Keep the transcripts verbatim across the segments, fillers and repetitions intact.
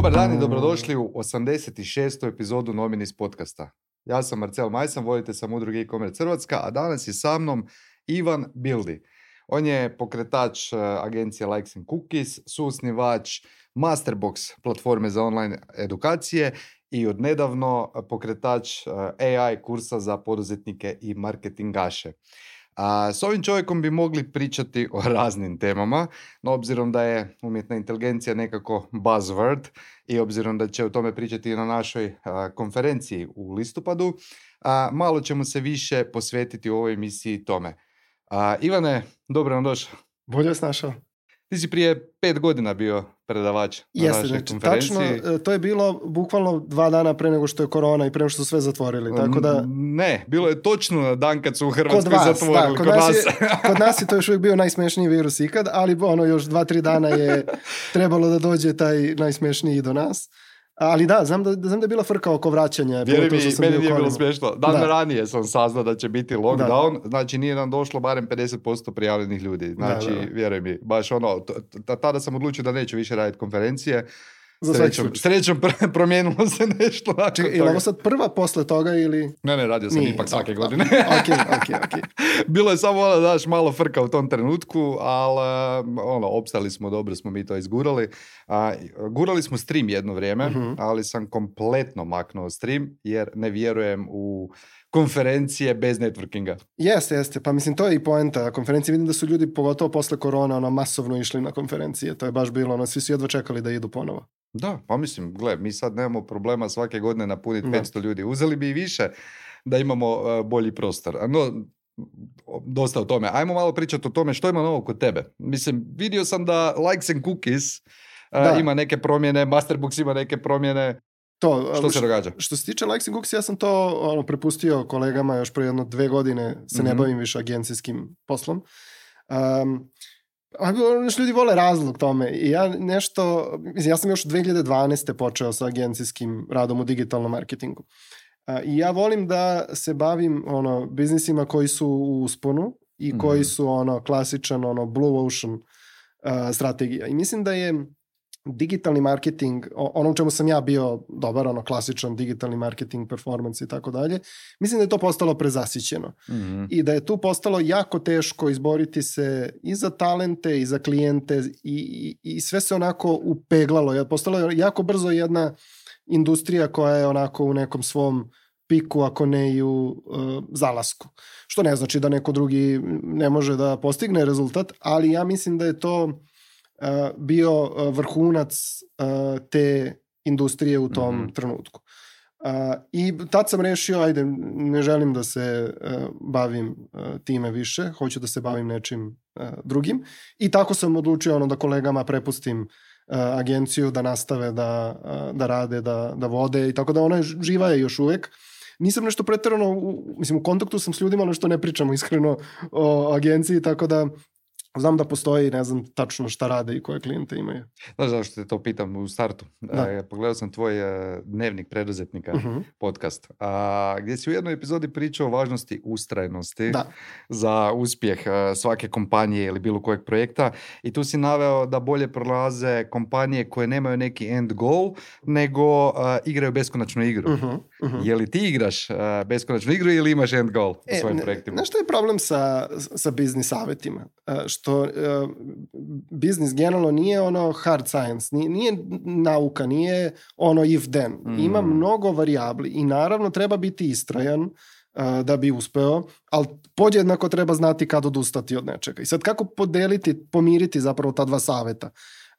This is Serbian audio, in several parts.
Dobar dan i dobrodošli u osamdeset šestu epizodu Nominis podcasta. Ja sam Marcel Majsan, voditelj sam udruge e-commerce Hrvatska, a danas je sa mnom Ivan Bildi. On je pokretač agencije Likes and Cookies, suosnivač Masterbox platforme za online edukacije i odnedavno pokretač A I kursa za poduzetnike i marketingaše. A s ovim čovjekom bi mogli pričati o raznim temama, no obzirom da je umjetna inteligencija nekako buzzword i obzirom da će o tome pričati na našoj a, konferenciji u listopadu, a, malo ćemo se više posvetiti u ovoj emisiji tome. A, Ivane, dobro nam došao. Bolje vas našao. Ti si prije pet godina bio predavač na Jeste, našoj znači, konferenciji. tačno, to je bilo bukvalno dva dana pre nego što je korona i pre nego što su sve zatvorili. Tako da... Ne, bilo je točno na dan kad su u Hrvatskoj kod vas, zatvorili. Da, kod, kod, nas nas. je, kod nas je to još uvijek bio najsmešniji virus ikad, ali ono još dva, tri dana je trebalo da dođe taj najsmešniji do nas. Ali da, znam da, znam da je bila frka oko vraćanja. Vjeri mi, meni nije kolima. bilo smiješno. Dan da. ranije sam saznao da će biti lockdown, da. Znači nije nam došlo barem pedeset posto prijavljenih ljudi. Znači, da, da. Vjeruj mi, baš ono, t- tada sam odlučio da neću više raditi konferencije. Srećom, srećom pr- promijenilo se nešto. Čekaj, je li ovo sad prva posle toga ili... Ne, ne, radio sam Nije, ipak svake da, godine. ok, ok, ok. Bilo je samo ono, daš, malo frka u tom trenutku, ali ono, opstali smo, dobro smo mi to izgurali. A, gurali smo stream jedno vrijeme, uh-huh. ali sam kompletno maknuo stream jer ne vjerujem u konferencije bez networkinga. Jeste, jeste. Pa mislim, to je i poenta konferencije. Vidim da su ljudi, pogotovo posle korona, ono, masovno išli na konferencije. To je baš bilo, ono, svi su jedva čekali da idu ponovo. Da, pa mislim, gle, mi sad nemamo problema svake godine napuniti petsto ljudi. Uzeli bi i više da imamo uh, bolji prostor. No, dosta o tome. Ajmo malo pričati o tome što ima novo kod tebe. Mislim, vidio sam da Likes and Cookies uh, ima neke promjene, Masterbox ima neke promjene. To, što se događa? Što se tiče Likes and Cookies, ja sam to ono, prepustio kolegama još pre jedno dve godine, se mm-hmm. ne bavim više agencijskim poslom. Um, Nešto ljudi vole razlog tome i ja nešto, ja sam još dvije hiljade dvanaeste počeo sa agencijskim radom u digitalnom marketingu i ja volim da se bavim ono biznisima koji su u usponu i koji mm. su ono klasičan ono blue ocean uh, strategija i mislim da je digitalni marketing, ono u čemu sam ja bio dobar, ono klasičan digitalni marketing, performance i tako dalje, mislim da je to postalo prezasićeno. Mm-hmm. I da je tu postalo jako teško izboriti se i za talente i za klijente i, i, i sve se onako upeglalo. Postalo je jako brzo jedna industrija koja je onako u nekom svom piku, ako ne i u uh, zalasku. Što ne znači da neko drugi ne može da postigne rezultat, ali ja mislim da je to Uh, bio uh, vrhunac uh, te industrije u tom mm-hmm. trenutku. Uh, I tad sam rešio, ajde, ne želim da se uh, bavim uh, time više, hoću da se bavim nečim uh, drugim. I tako sam odlučio ono, da kolegama prepustim uh, agenciju da nastave da, uh, da rade, da, da vode i tako da ona živa je još uvek. Nisam nešto pretjerano, u, mislim u kontaktu sam s ljudima, ali što ne pričamo iskreno o agenciji, tako da znam da postoji, ne znam tačno šta rade i koje klijente imaju. Znaš zašto te to pitam u startu? E, pogledao sam tvoj e, dnevnik preduzetnika, uh-huh. podcast, a, gdje si u jednoj epizodi pričao o važnosti ustrajnosti da. za uspjeh a, svake kompanije ili bilo kojeg projekta i tu si naveo da bolje prolaze kompanije koje nemaju neki end goal, nego a, igraju beskonačnu igru. Uh-huh. Uh-huh. Je li ti igraš a, beskonačnu igru ili imaš end goal e, u svojim ne, projektima? Znaš što je problem sa, sa biznis savjetima? A, što uh, biznis generalno nije ono hard science, nije, nije nauka, nije ono if then. Mm. Ima mnogo varijabli i naravno treba biti istrajan uh, da bi uspeo, ali podjednako treba znati kad odustati od nečega. I sad kako podeliti, pomiriti zapravo ta dva saveta?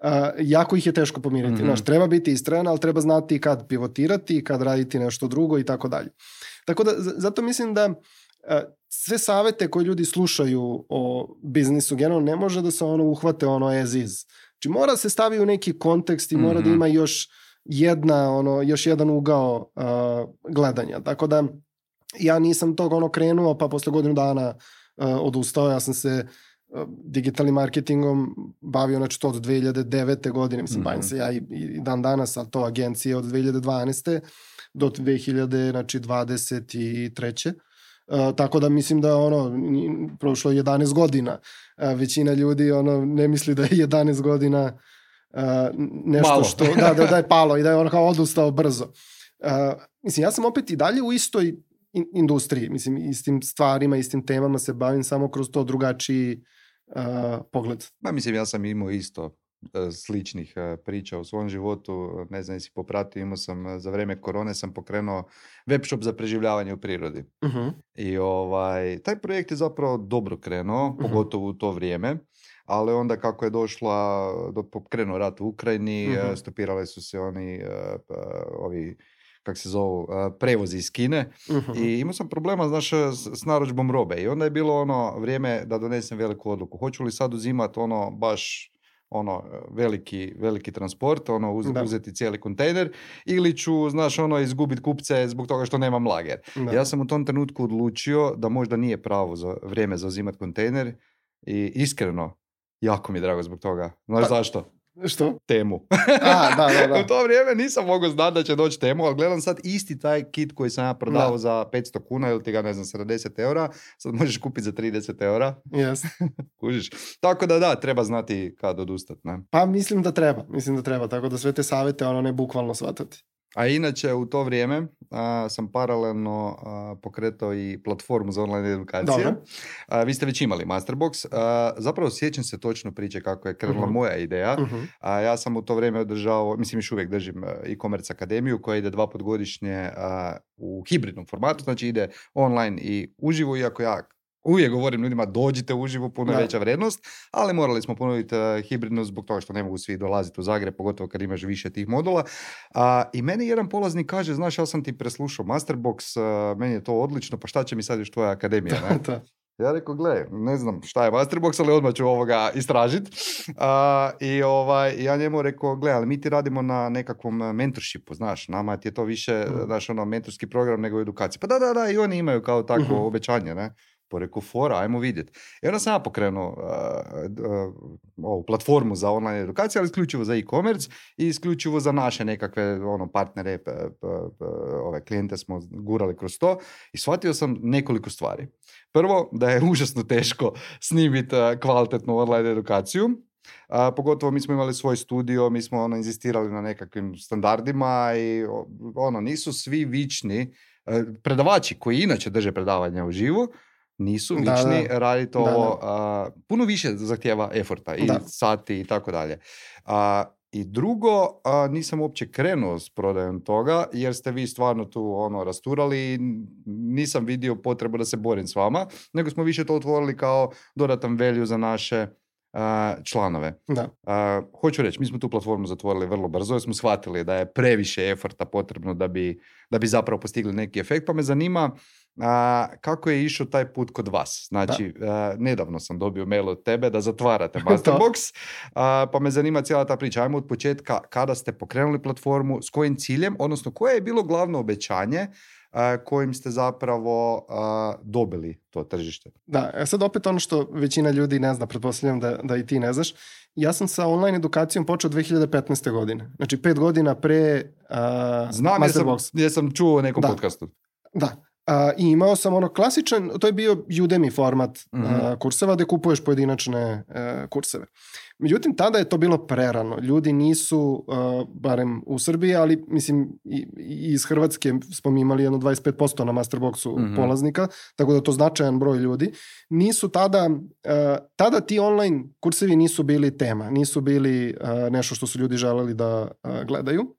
Uh, jako ih je teško pomiriti. Mm-hmm. Znaš, treba biti istrajan, ali treba znati kad pivotirati, kad raditi nešto drugo i tako dalje. Tako da, z- zato mislim da uh, sve savete koje ljudi slušaju o biznisu generalno ne može da se ono uhvate ono as is. Znači mora se stavi u neki kontekst i mora mm-hmm. da ima još jedna, ono, još jedan ugao uh, gledanja. Tako da ja nisam tog ono krenuo pa posle godinu dana uh, odustao. Ja sam se uh, digitalnim marketingom bavio znači to od dve hiljade devete godine. Mislim, mm-hmm. bavim se ja i, i dan danas, a to agencije od dve hiljade dvanaeste do dve hiljade dvadeset treće Uh, tako da mislim da ono prošlo jedanaest godina. Uh, većina ljudi ono ne misli da je jedanaest godina uh, nešto Malo. što, da, da, da je palo i da je ono kao odustao brzo. Uh, mislim, ja sam opet i dalje u istoj in, industriji, mislim, istim stvarima, istim temama se bavim, samo kroz to drugačiji uh, pogled. Ma, mislim, ja sam imao isto sličnih priča u svom životu, ne znam, jesi popratio, imao sam za vrijeme korone sam pokrenuo web shop za preživljavanje u prirodi. Uh-huh. I ovaj, taj projekt je zapravo dobro krenuo, uh-huh. pogotovo u to vrijeme, ali onda kako je došla, do pokrenuo rat u Ukrajini, uh-huh. stopirale su se oni, ovi, kak se zovu, prevozi iz Kine uh-huh. i imao sam problema, znaš, s, s narudžbom robe i onda je bilo ono vrijeme da donesem veliku odluku. Hoću li sad uzimati ono baš ono veliki, veliki transport, ono uz, uzeti cijeli kontejner ili ću, znaš, ono izgubiti kupce zbog toga što nemam lager. Da. Ja sam u tom trenutku odlučio da možda nije pravo za vrijeme za uzimati kontejner i iskreno, jako mi je drago zbog toga. Znaš pa, zašto? Što? Temu. A, da, da, da. U to vrijeme nisam mogao znati da će doći Temu, ali gledam sad isti taj kit koji sam ja prodao da. za petsto kuna ili ti ga, ne znam, sedamdeset eura, sad možeš kupiti za trideset eura. Yes. Kužiš. Tako da da, treba znati kad odustati. Ne? Pa mislim da treba, mislim da treba, tako da sve te savjete ono ne bukvalno shvatati. A inače u to vrijeme a, sam paralelno a, pokretao i platformu za online edukacije. A, vi ste već imali Masterbox. A, zapravo sjećam se točno priče kako je krenula uh-huh. moja ideja. Uh-huh. A, ja sam u to vrijeme održao, mislim još uvijek držim e-commerce akademiju koja ide dva put godišnje a, u hibridnom formatu, znači ide online i uživo, iako ja uvijek govorim ljudima dođite uživo, puno je veća vrijednost, ali morali smo ponoviti uh, hibridno zbog toga što ne mogu svi dolaziti u Zagreb, pogotovo kad imaš više tih modula. Uh, I meni jedan polaznik kaže, znaš, ja sam ti preslušao Masterbox, uh, meni je to odlično, pa šta će mi sad još tvoja akademija, ne? Ja rekao, gle, ne znam šta je Masterbox, ali odmah ću ovoga istražiti. Uh, I ovaj, ja njemu rekao, gle, ali mi ti radimo na nekakvom mentorshipu, znaš, nama ti je to više, mm. znaš, ono, mentorski program nego edukacija. Pa da, da, da, i oni imaju kao takvo mm-hmm. obećanje, ne? Po reku, fora, ajmo vidjeti. I onda sam ja pokrenuo uh, uh, ovu platformu za online edukaciju, ali isključivo za e-commerce i isključivo za naše nekakve ono, partnere, p, p, p, ove klijente smo gurali kroz to i shvatio sam nekoliko stvari. Prvo, da je užasno teško snimiti uh, kvalitetnu online edukaciju. Uh, pogotovo mi smo imali svoj studio, mi smo ono, inzistirali na nekakvim standardima i ono, nisu svi vični uh, predavači koji inače drže predavanja u živu, nisu vični raditi ovo, da. Uh, puno više zahtjeva eforta i da. sati i tako dalje. Uh, I drugo, uh, nisam uopće krenuo s prodajom toga, jer ste vi stvarno tu ono rasturali i nisam vidio potrebu da se borim s vama, nego smo više to otvorili kao dodatan value za naše Uh, članove. Da. Uh, hoću reći, mi smo tu platformu zatvorili vrlo brzo jer smo shvatili da je previše eforta potrebno da bi, da bi zapravo postigli neki efekt, pa me zanima uh, kako je išao taj put kod vas. Znači, uh, nedavno sam dobio mail od tebe da zatvarate Masterbox, uh, pa me zanima cijela ta priča. Ajmo od početka, kada ste pokrenuli platformu, s kojim ciljem, odnosno koje je bilo glavno obećanje Uh, kojim ste zapravo uh, dobili to tržište. Da, sad opet ono što većina ljudi ne zna, pretpostavljam da, da i ti ne znaš. Ja sam sa online edukacijom počeo dvije hiljade petnaeste. godine. Znači pet godina pre uh, Znam, Masterbox. Znam, jer sam čuo u nekom da. podcastu. Da. Uh, I imao sam ono klasičan, to je bio Udemy format mm-hmm. uh, kurseva gde kupuješ pojedinačne uh, kurseve. Međutim, tada je to bilo prerano. Ljudi nisu, uh, barem u Srbiji, ali mislim i, i iz Hrvatske smo imali jedno dvadeset pet posto na Masterboxu mm-hmm. polaznika, tako da je to značajan broj ljudi. Nisu tada, uh, tada ti online kursevi nisu bili tema, nisu bili uh, nešto što su ljudi želeli da uh, gledaju.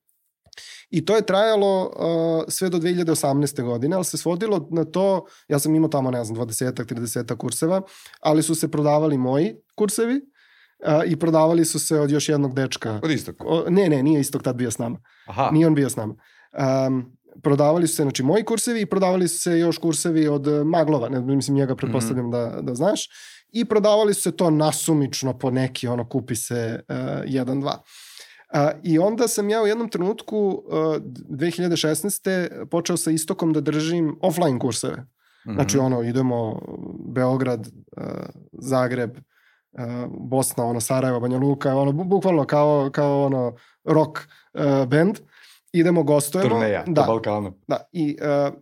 I to je trajalo uh, sve do dvije hiljade osamnaeste. godine, ali se svodilo na to, ja sam imao tamo, ne znam, dvadeset trideset kurseva, ali su se prodavali moji kursevi uh, i prodavali su se od još jednog dečka. Od istog? O, ne, ne, nije Istok tad bio s nama. Aha. Nije on bio s nama. Um, prodavali su se, znači, moji kursevi i prodavali su se još kursevi od Maglova, ne, mislim, njega pretpostavljam mm-hmm. da, da znaš, i prodavali su se to nasumično po neki, ono, kupi se uh, jedan, dva. Uh, I onda sam ja u jednom trenutku uh, dvije hiljade šesnaeste. počeo sa Istokom da držim offline kurseve. Mm-hmm. Znači ono, idemo Beograd, uh, Zagreb, uh, Bosna, ono, Sarajevo, Banja Luka, ono, bukvalno kao, kao ono rock uh, band. Idemo, gostujemo. Turneja, da, po Balkanu. Da, i uh,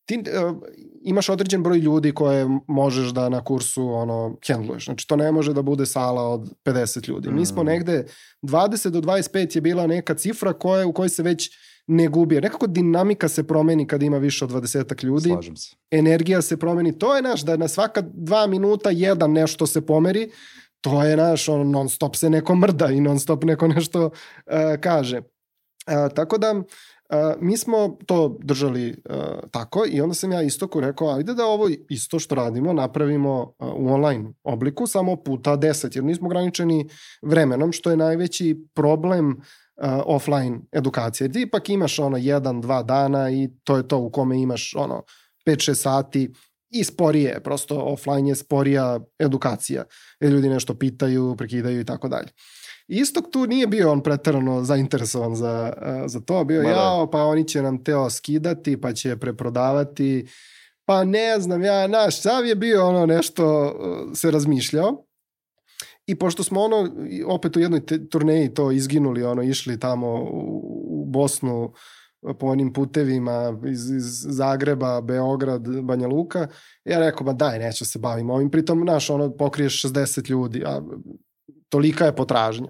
ti uh, imaš određen broj ljudi koje možeš da na kursu ono handluješ. Znači to ne može da bude sala od pedeset ljudi. Mm. Mi smo negde dvadeset do dvadeset pet je bila neka cifra koja, u kojoj se već ne gubi. Nekako dinamika se promeni kada ima više od dvadesetak ljudi. Slažem se. Energija se promeni. To je naš, da na svaka dva minuta jedan nešto se pomeri. To je naš, on, non stop se neko mrda i non stop neko nešto uh, kaže. Uh, tako da Uh, mi smo to držali uh, tako i onda sam ja Istoku rekao, ajde da ovo isto što radimo napravimo uh, u online obliku, samo puta deset, jer nismo ograničeni vremenom, što je najveći problem uh, offline edukacije. Ti ipak imaš ono jedan, dva dana i to je to u kome imaš ono pet šest sati i sporije, prosto offline je sporija edukacija, jer ljudi nešto pitaju, prekidaju i tako dalje. Istok tu nije bio on preterano zainteresovan za, za to, bio jao, pa oni će nam teo skidati, pa će preprodavati, pa ne znam, ja, naš sav je bio ono nešto se razmišljao i pošto smo ono, opet u jednoj te, turneji to izginuli, ono, išli tamo u, u Bosnu po onim putevima iz, iz Zagreba, Beograd, Banja Luka, ja rekao, ba daj, neću se bavim ovim, pritom, naš, ono, pokriješ šezdeset ljudi, a tolika je potražnja.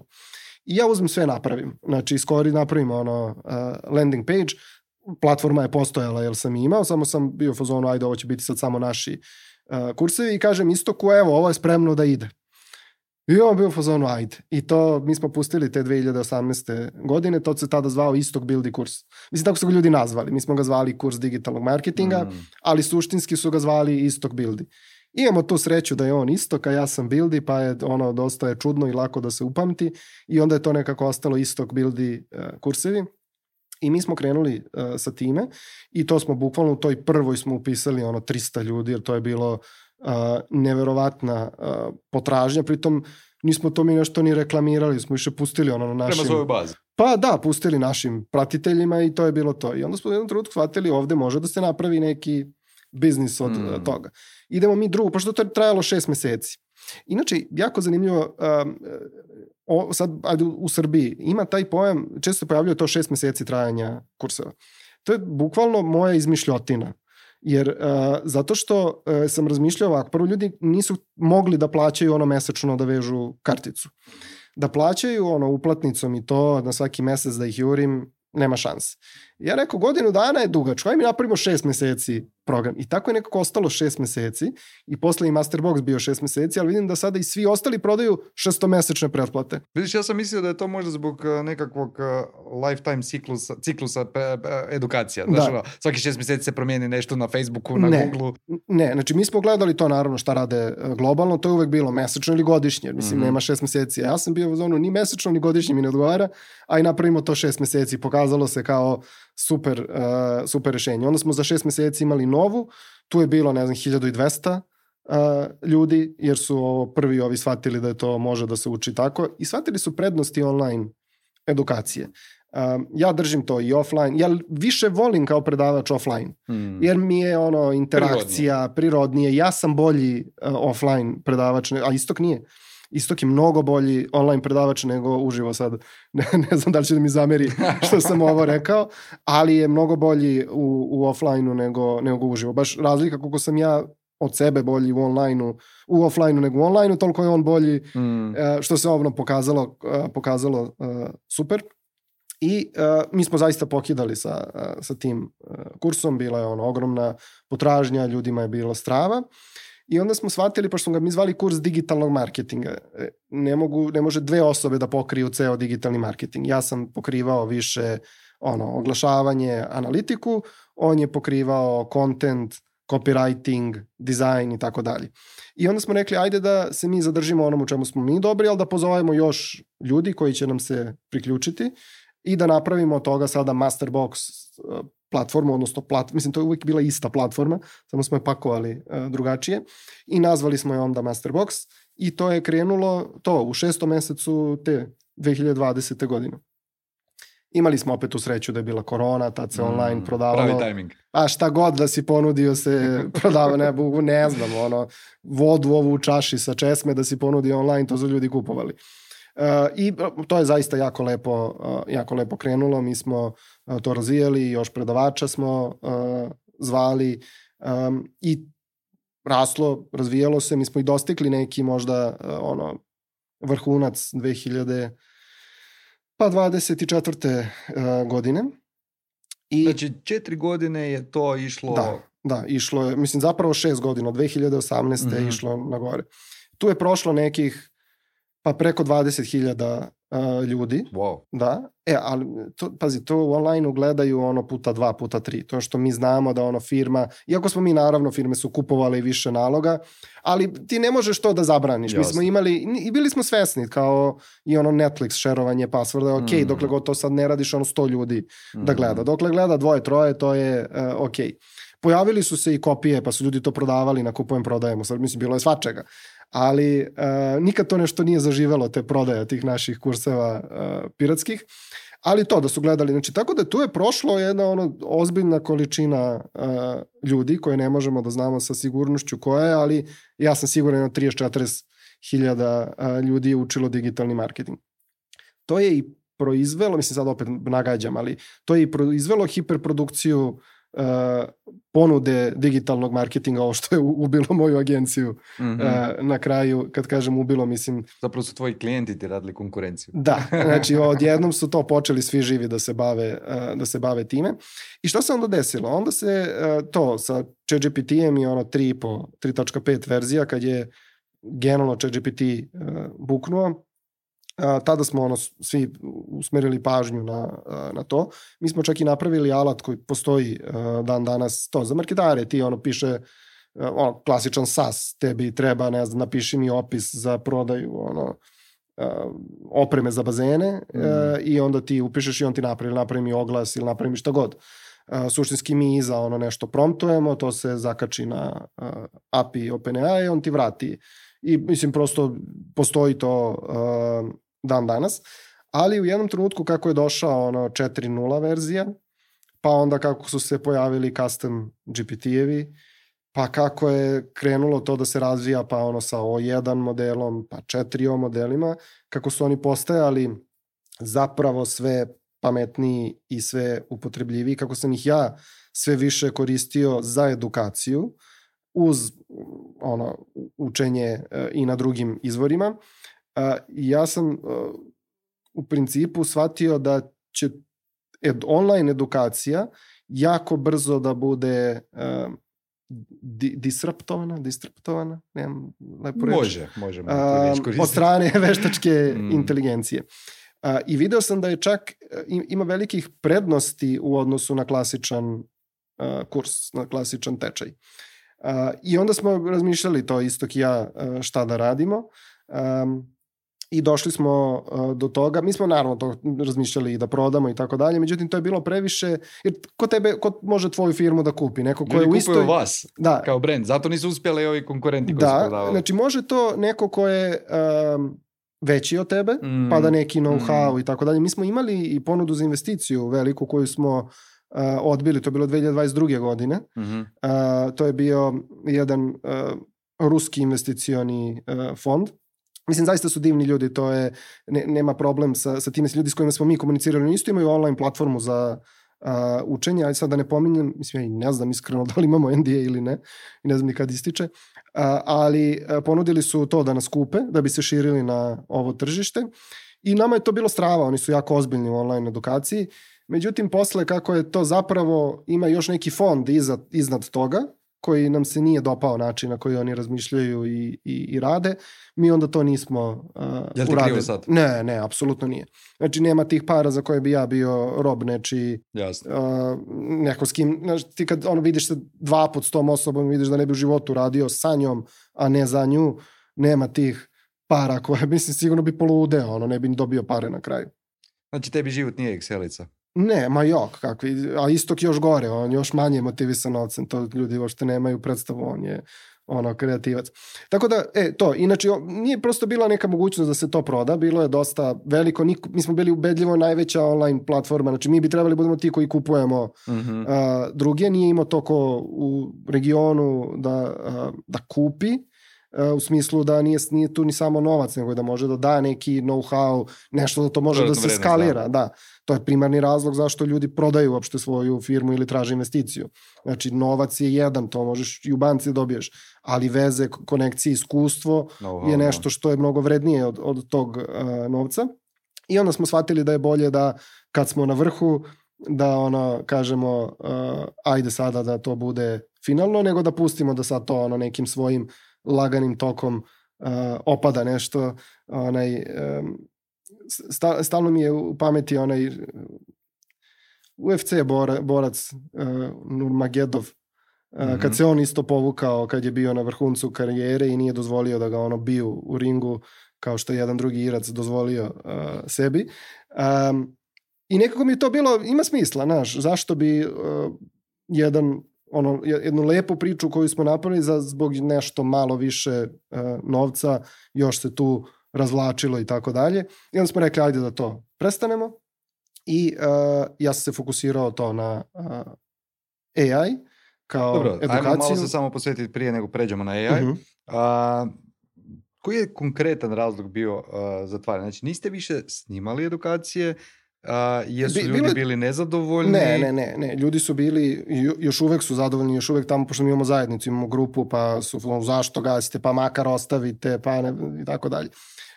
I ja uzmem sve napravim. Znači, skoro napravim ono uh, landing page, platforma je postojala jer sam imao, samo sam bio u fazonu, ajde, ovo će biti sad samo naši uh, kursevi i kažem Istoku, evo, ovo je spremno da ide. I on bio u fazonu, ajde. I to, mi smo pustili te dve hiljade osamnaeste. godine, to se tada zvao Istok Buildi kurs. Mislim, tako su ga ljudi nazvali. Mi smo ga zvali kurs digitalnog marketinga, mm. ali suštinski su ga zvali Istok Buildi. Imamo tu sreću da je on Istok, a ja sam Buildi, pa je ono dosta je čudno i lako da se upamti i onda je to nekako ostalo Istok Buildi uh, kursevi. I mi smo krenuli uh, sa time i to smo bukvalno u toj prvoj smo upisali ono trista ljudi, jer to je bilo uh, neverovatna uh, potražnja, pritom nismo to mi nešto ni reklamirali, smo više pustili ono na našim... Prema svojoj bazi. Pa da, pustili našim pratiteljima i to je bilo to. I onda smo u jednom trenutku shvatili ovde može da se napravi neki biznis od mm. toga. Idemo mi drugo, pošto to je trajalo šest meseci. Inače, jako zanimljivo, um, o, sad ajde, u Srbiji ima taj pojam, često se pojavljuje to šest meseci trajanja kurseva. To je bukvalno moja izmišljotina. Jer uh, zato što uh, sam razmišljao ovako, prvo ljudi nisu mogli da plaćaju ono mesečno da vežu karticu. Da plaćaju ono uplatnicom i to na svaki mesec da ih jurim, nema šanse. Ja rekao, godinu dana je dugačko, aj mi napravimo šest meseci program. I tako je nekako ostalo šest meseci i posle i Masterbox bio šest meseci, ali vidim da sada i svi ostali prodaju šestomesečne pretplate. Vidiš, ja sam mislio da je to možda zbog nekakvog lifetime ciklusa, ciklusa edukacija. Znaš, ono, svaki šest meseci se promijeni nešto na Facebooku, na ne, Googleu. Ne, znači mi smo gledali to naravno šta rade globalno, to je uvek bilo mesečno ili godišnje, mislim mm-hmm. nema šest meseci. Ja sam bio u zonu ni mesečno ni godišnje mi ne odgovara, a i napravimo to šest meseci. Pokazalo se kao super, uh, super rešenje. Onda smo za šest meseci imali novu, tu je bilo, ne znam, hiljadu dvesta uh, ljudi, jer su ovo prvi ovi shvatili da je to može da se uči tako i shvatili su prednosti online edukacije. Um, ja držim to i offline, ja više volim kao predavač offline, mm. jer mi je ono interakcija, prirodnije, prirodnije. Ja sam bolji uh, offline predavač, a Istok nije. Istok je mnogo bolji online predavač nego uživo sad. Ne, ne znam da li će da mi zameri što sam ovo rekao, ali je mnogo bolji u, u offline-u nego, nego uživo. Baš razlika koliko sam ja od sebe bolji u online-u, u offline-u nego u online-u, toliko je on bolji, mm. što se ovno pokazalo, pokazalo uh, super. I uh, mi smo zaista pokidali sa, uh, sa tim uh, kursom, bila je ono ogromna potražnja, ljudima je bilo strava. I onda smo shvatili, pošto smo ga mi zvali kurs digitalnog marketinga, ne, mogu, ne može dve osobe da pokriju ceo digitalni marketing. Ja sam pokrivao više ono, oglašavanje, analitiku, on je pokrivao content, copywriting, design i tako dalje. I onda smo rekli, ajde da se mi zadržimo onom u čemu smo mi dobri, ali da pozovemo još ljudi koji će nam se priključiti i da napravimo od toga sada Masterbox platformu, odnosno plat, mislim to je uvijek bila ista platforma, samo smo je pakovali uh, drugačije i nazvali smo je onda Masterbox i to je krenulo to u šestom mesecu te dve hiljade dvadesete. godine. Imali smo opet u sreću da je bila korona, tad se mm, online prodavalo. Pravi timing. A šta god da si ponudio se prodava, ne, ne znam, ono, vodu ovu u čaši sa česme da si ponudio online, to su ljudi kupovali. Uh, I to je zaista jako lepo, uh, jako lepo krenulo, mi smo uh, to razvijali, još predavača smo uh, zvali um, i raslo, razvijalo se, mi smo i dostigli neki možda uh, ono vrhunac dve hiljade dvadeset četvrte Uh, godine. I, znači četiri godine je to išlo... Da, da, išlo je, mislim zapravo šest godina, od dve hiljade osamnaeste Mm-hmm. je išlo na gore. Tu je prošlo nekih pa preko dvadeset hiljada uh, ljudi. Wow. Da, e, ali to, pazi, to u online-u gledaju ono puta dva, puta tri. To što mi znamo da ono firma, iako smo mi naravno firme su kupovali više naloga, ali ti ne možeš to da zabraniš. Jasne. Mi smo imali, i bili smo svesni kao i ono Netflix šerovanje passworda, ok, mm. dokle god to sad ne radiš ono sto ljudi mm. da gleda. Dokle gleda dvoje, troje, to je uh, ok. Pojavili su se i kopije, pa su ljudi to prodavali na kupujem, prodajemo. Sad mislim, bilo je svačega. Ali uh, nikad to nešto nije zaživelo, te prodaje tih naših kurseva uh, piratskih. Ali to da su gledali. Znači, tako da tu je prošlo jedna ono ozbiljna količina uh, ljudi koje ne možemo da znamo sa sigurnošću koja je, ali ja sam siguran da trideset do četrdeset hiljada uh, ljudi je učilo digitalni marketing. To je i proizvelo, mislim sad opet nagađam, ali to je i proizvelo hiperprodukciju Uh, ponude digitalnog marketinga, ovo što je ubilo moju agenciju mm-hmm. uh, na kraju, kad kažem ubilo, mislim... Zapravo su tvoji klijenti ti radili konkurenciju. Da, znači odjednom su to počeli svi živi da se bave, uh, da se bave time. I što se onda desilo? Onda se uh, to sa ChatGPT-em i ono tri tačka pet verzija, kad je generalno ChatGPT uh, buknuo, Uh, tada smo ono svi usmerili pažnju na, uh, na to. Mi smo čak i napravili alat koji postoji uh, dan danas to za marketare. Ti ono piše uh, ono, klasičan SaaS, tebi treba, ne znam, napiši mi opis za prodaju ono, uh, opreme za bazene mm. uh, i onda ti upišeš i on ti napravi, napravi mi oglas ili napravi mi šta god. Uh, suštinski mi iza ono nešto promptujemo, to se zakači na uh, A P I OpenAI i on ti vrati. I mislim prosto postoji to uh, dan danas, ali u jednom trenutku kako je došao ono četiri nula verzija, pa onda kako su se pojavili custom G P T-evi, pa kako je krenulo to da se razvija pa ono sa O jedan modelom, pa četiri O modelima, kako su oni postajali zapravo sve pametniji i sve upotrebljiviji, kako sam ih ja sve više koristio za edukaciju, uz ono učenje uh, i na drugim izvorima. Uh, ja sam uh, u principu shvatio da će ed, online edukacija jako brzo da bude uh, di, disruptovana, disruptovana, nemam lepo reći. Može, možemo uh, od strane veštačke mm. inteligencije. Uh, I video sam da je čak, uh, ima velikih prednosti u odnosu na klasičan uh, kurs, na klasičan tečaj. Uh, I onda smo razmišljali to Istok i ja uh, šta da radimo um, i došli smo uh, do toga, mi smo naravno to razmišljali i da prodamo i tako dalje, međutim to je bilo previše, jer ko tebe, ko može tvoju firmu da kupi? Neko ko ljudi je u istoj... kupuju vas da. Kao brand, zato nisu uspjeli ovi konkurenti koji da, su prodavali. Znači može to neko ko je um, veći od tebe, mm. pa da neki know-how mm. i tako dalje. Mi smo imali i ponudu za investiciju veliku koju smo Uh, odbili, to je bilo dve hiljade dvadeset druge godine. Mm-hmm. Uh, to je bio jedan uh, ruski investicioni uh, fond. Mislim, zaista su divni ljudi, to je, ne, nema problem sa, sa time, ljudi s kojima smo mi komunicirali. Oni isto imaju online platformu za uh, učenje, ali sad da ne pominjem, mislim, ja ne znam iskreno da li imamo N D A ili ne, i ne znam ni kad ističe, uh, ali uh, ponudili su to da nas kupe, da bi se širili na ovo tržište i nama je to bilo strava, oni su jako ozbiljni u online edukaciji. Međutim, posle kako je to zapravo, ima još neki fond iza, iznad toga, koji nam se nije dopao način na koji oni razmišljaju i, i, i rade, mi onda to nismo uh, Jel ti uradili. Krivo sad? Ne, ne, apsolutno nije. Znači, nema tih para za koje bi ja bio rob nečiji, uh, neko s kim, znači, ti kad ono, vidiš se dva put s tom osobom, vidiš da ne bi u životu radio sa njom, a ne za nju, nema tih para koje, mislim, sigurno bi poludeo, ono, ne bi dobio pare na kraju. Znači, tebi život nije Excelica? Ne, ma jok, kakvi, a Istok još gore, on još manje motivisan novcem, to ljudi uopšte nemaju predstavu, on je ono kreativac. Tako da, e, to, inače, nije prosto bila neka mogućnost da se to proda, bilo je dosta veliko, niko, mi smo bili ubedljivo najveća online platforma, znači mi bi trebali budemo ti koji kupujemo mm-hmm. uh, druge, nije imao to ko u regionu da, uh, da kupi, u smislu da nije, nije tu ni samo novac, nego da može da da neki know-how, nešto da to može Dodatno da se vrednost, skalira. da. Da. To je primarni razlog zašto ljudi prodaju uopšte svoju firmu ili traže investiciju. Znači, novac je jedan, to možeš i u banci dobiješ, ali veze, konekcije, iskustvo know-how, je nešto što je mnogo vrednije od, od tog uh, novca. I onda smo shvatili da je bolje da kad smo na vrhu, da ono, kažemo, uh, ajde sada da to bude finalno, nego da pustimo da sad to ono nekim svojim laganim tokom uh, opada nešto. Onaj, um, sta, stalno mi je u pameti onaj U F C bora, borac uh, Nurmagedov, uh, mm-hmm. kad se on isto povukao, kad je bio na vrhuncu karijere i nije dozvolio da ga ono biju u ringu, kao što je jedan drugi Irac dozvolio uh, sebi. Um, I nekako mi je to bilo, ima smisla, znaš, zašto bi uh, jedan, ono, jednu lepu priču koju smo napravili za, zbog nešto malo više uh, novca, još se tu razvlačilo i tako dalje. I onda smo rekli, ajde da to prestanemo. I uh, ja sam se fokusirao to na uh, A I kao Dobro, edukaciju. ajmo malo se samo posvetiti prije nego pređemo na A I. Uh-huh. Uh, koji je konkretan razlog bio uh, zatvaran? Znači, niste više snimali edukacije, uh, jesu Bi, ljudi bili, bili nezadovoljni? Ne, ne, ne, ne. Ljudi su bili, još uvek su zadovoljni, još uvek tamo, pošto mi imamo zajednicu, imamo grupu, pa su, zašto gasite, pa makar ostavite, pa ne, i tako dalje.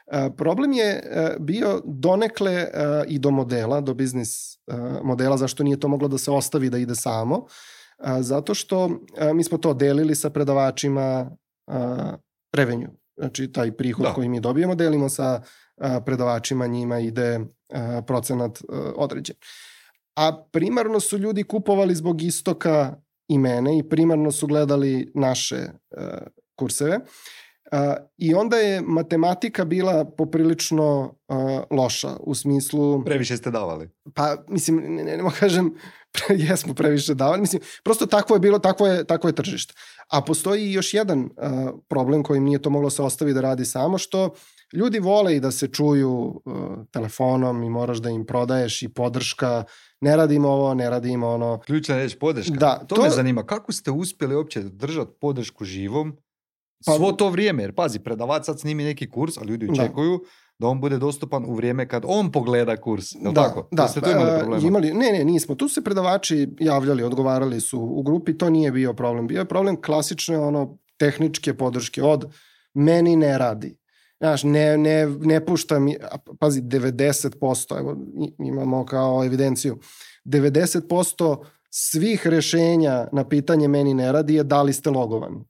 Uh, problem je uh, bio donekle uh, i do modela, do biznis uh, modela, zašto nije to moglo da se ostavi da ide samo, uh, zato što uh, mi smo to delili sa predavačima uh, revenue, znači taj prihod da. koji mi dobijemo, delimo sa uh, predavačima, njima ide uh, procenat uh, određen. A primarno su ljudi kupovali zbog Istoka i mene i primarno su gledali naše uh, kurseve. Uh, I onda je matematika bila poprilično uh, loša, u smislu... Previše ste davali. Pa, mislim, ne, ne, ne kažem, pre, jesmo previše davali, mislim, prosto takvo je bilo, takvo je, takvo je tržište. A postoji još jedan uh, problem kojim nije to moglo se ostaviti da radi samo, što ljudi vole i da se čuju uh, telefonom i moraš da im prodaješ i podrška, ne radimo ovo, ne radimo ono... Ključna reč, podrška. Da, to, to me zanima, kako ste uspjeli uopće držati podršku živom Pa, svo to vrijeme, jer pazi, predavač sad snimi neki kurs, a ljudi očekuju da. da on bude dostupan u vrijeme kad on pogleda kurs. Je li da, tako? Da, da ste tu imali problema? Imali, ne, ne, nismo. Tu se predavači javljali, odgovarali su u grupi, to nije bio problem. Bio je problem klasične ono, tehničke podrške od meni ne radi. Znaš, ne, ne, ne pušta mi, pazi, devedeset posto, evo, imamo kao evidenciju, devedeset posto svih rešenja na pitanje meni ne radi je da li ste logovani.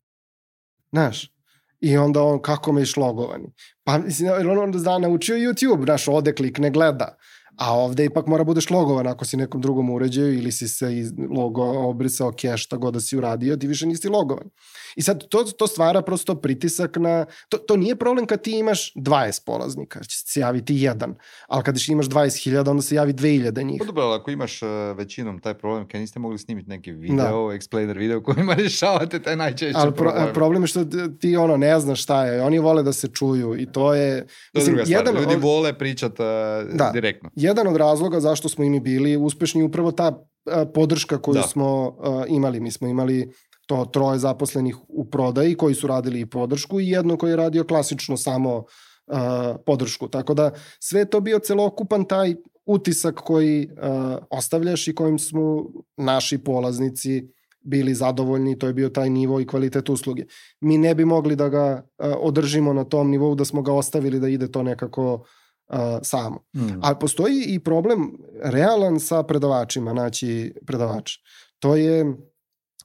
Znaš, i onda on, kako me iš logovani? Pa, mislim, on onda zna, naučio YouTube, znaš, ode klikne, gleda. A ovde ipak mora budeš logovan ako si nekom drugom uređaju ili si se iz logo obrisao keš, šta god da si uradio, ti više nisi logovan. I sad to, to stvara prosto pritisak na... To, to nije problem kad ti imaš dvadeset polaznika, će se javiti jedan. Ali kad imaš dvadeset hiljada, onda se javi dve hiljade njih. Pa dobro, ako imaš uh, većinom taj problem, kad niste mogli snimiti neki video, da. explainer video kojima rješavate taj najčešći ali pro, problem. Problem je što ti ono ne znaš šta je. Oni vole da se čuju i to je... To je druga stvar. Jedan, Ljudi od, vole pričati uh, da, direktno. Jedan od razloga zašto smo i mi bili uspešni upravo ta uh, podrška koju da. smo uh, imali. Mi smo imali to troje zaposlenih u prodaji koji su radili i podršku i jedno koji je radio klasično samo uh, podršku. Tako da sve to bio celokupan taj utisak koji uh, ostavljaš i kojim smo naši polaznici bili zadovoljni, to je bio taj nivo i kvalitet usluge. Mi ne bi mogli da ga uh, održimo na tom nivou da smo ga ostavili da ide to nekako uh, samo. Mm. Ali postoji i problem realan sa predavačima, naći predavača. To je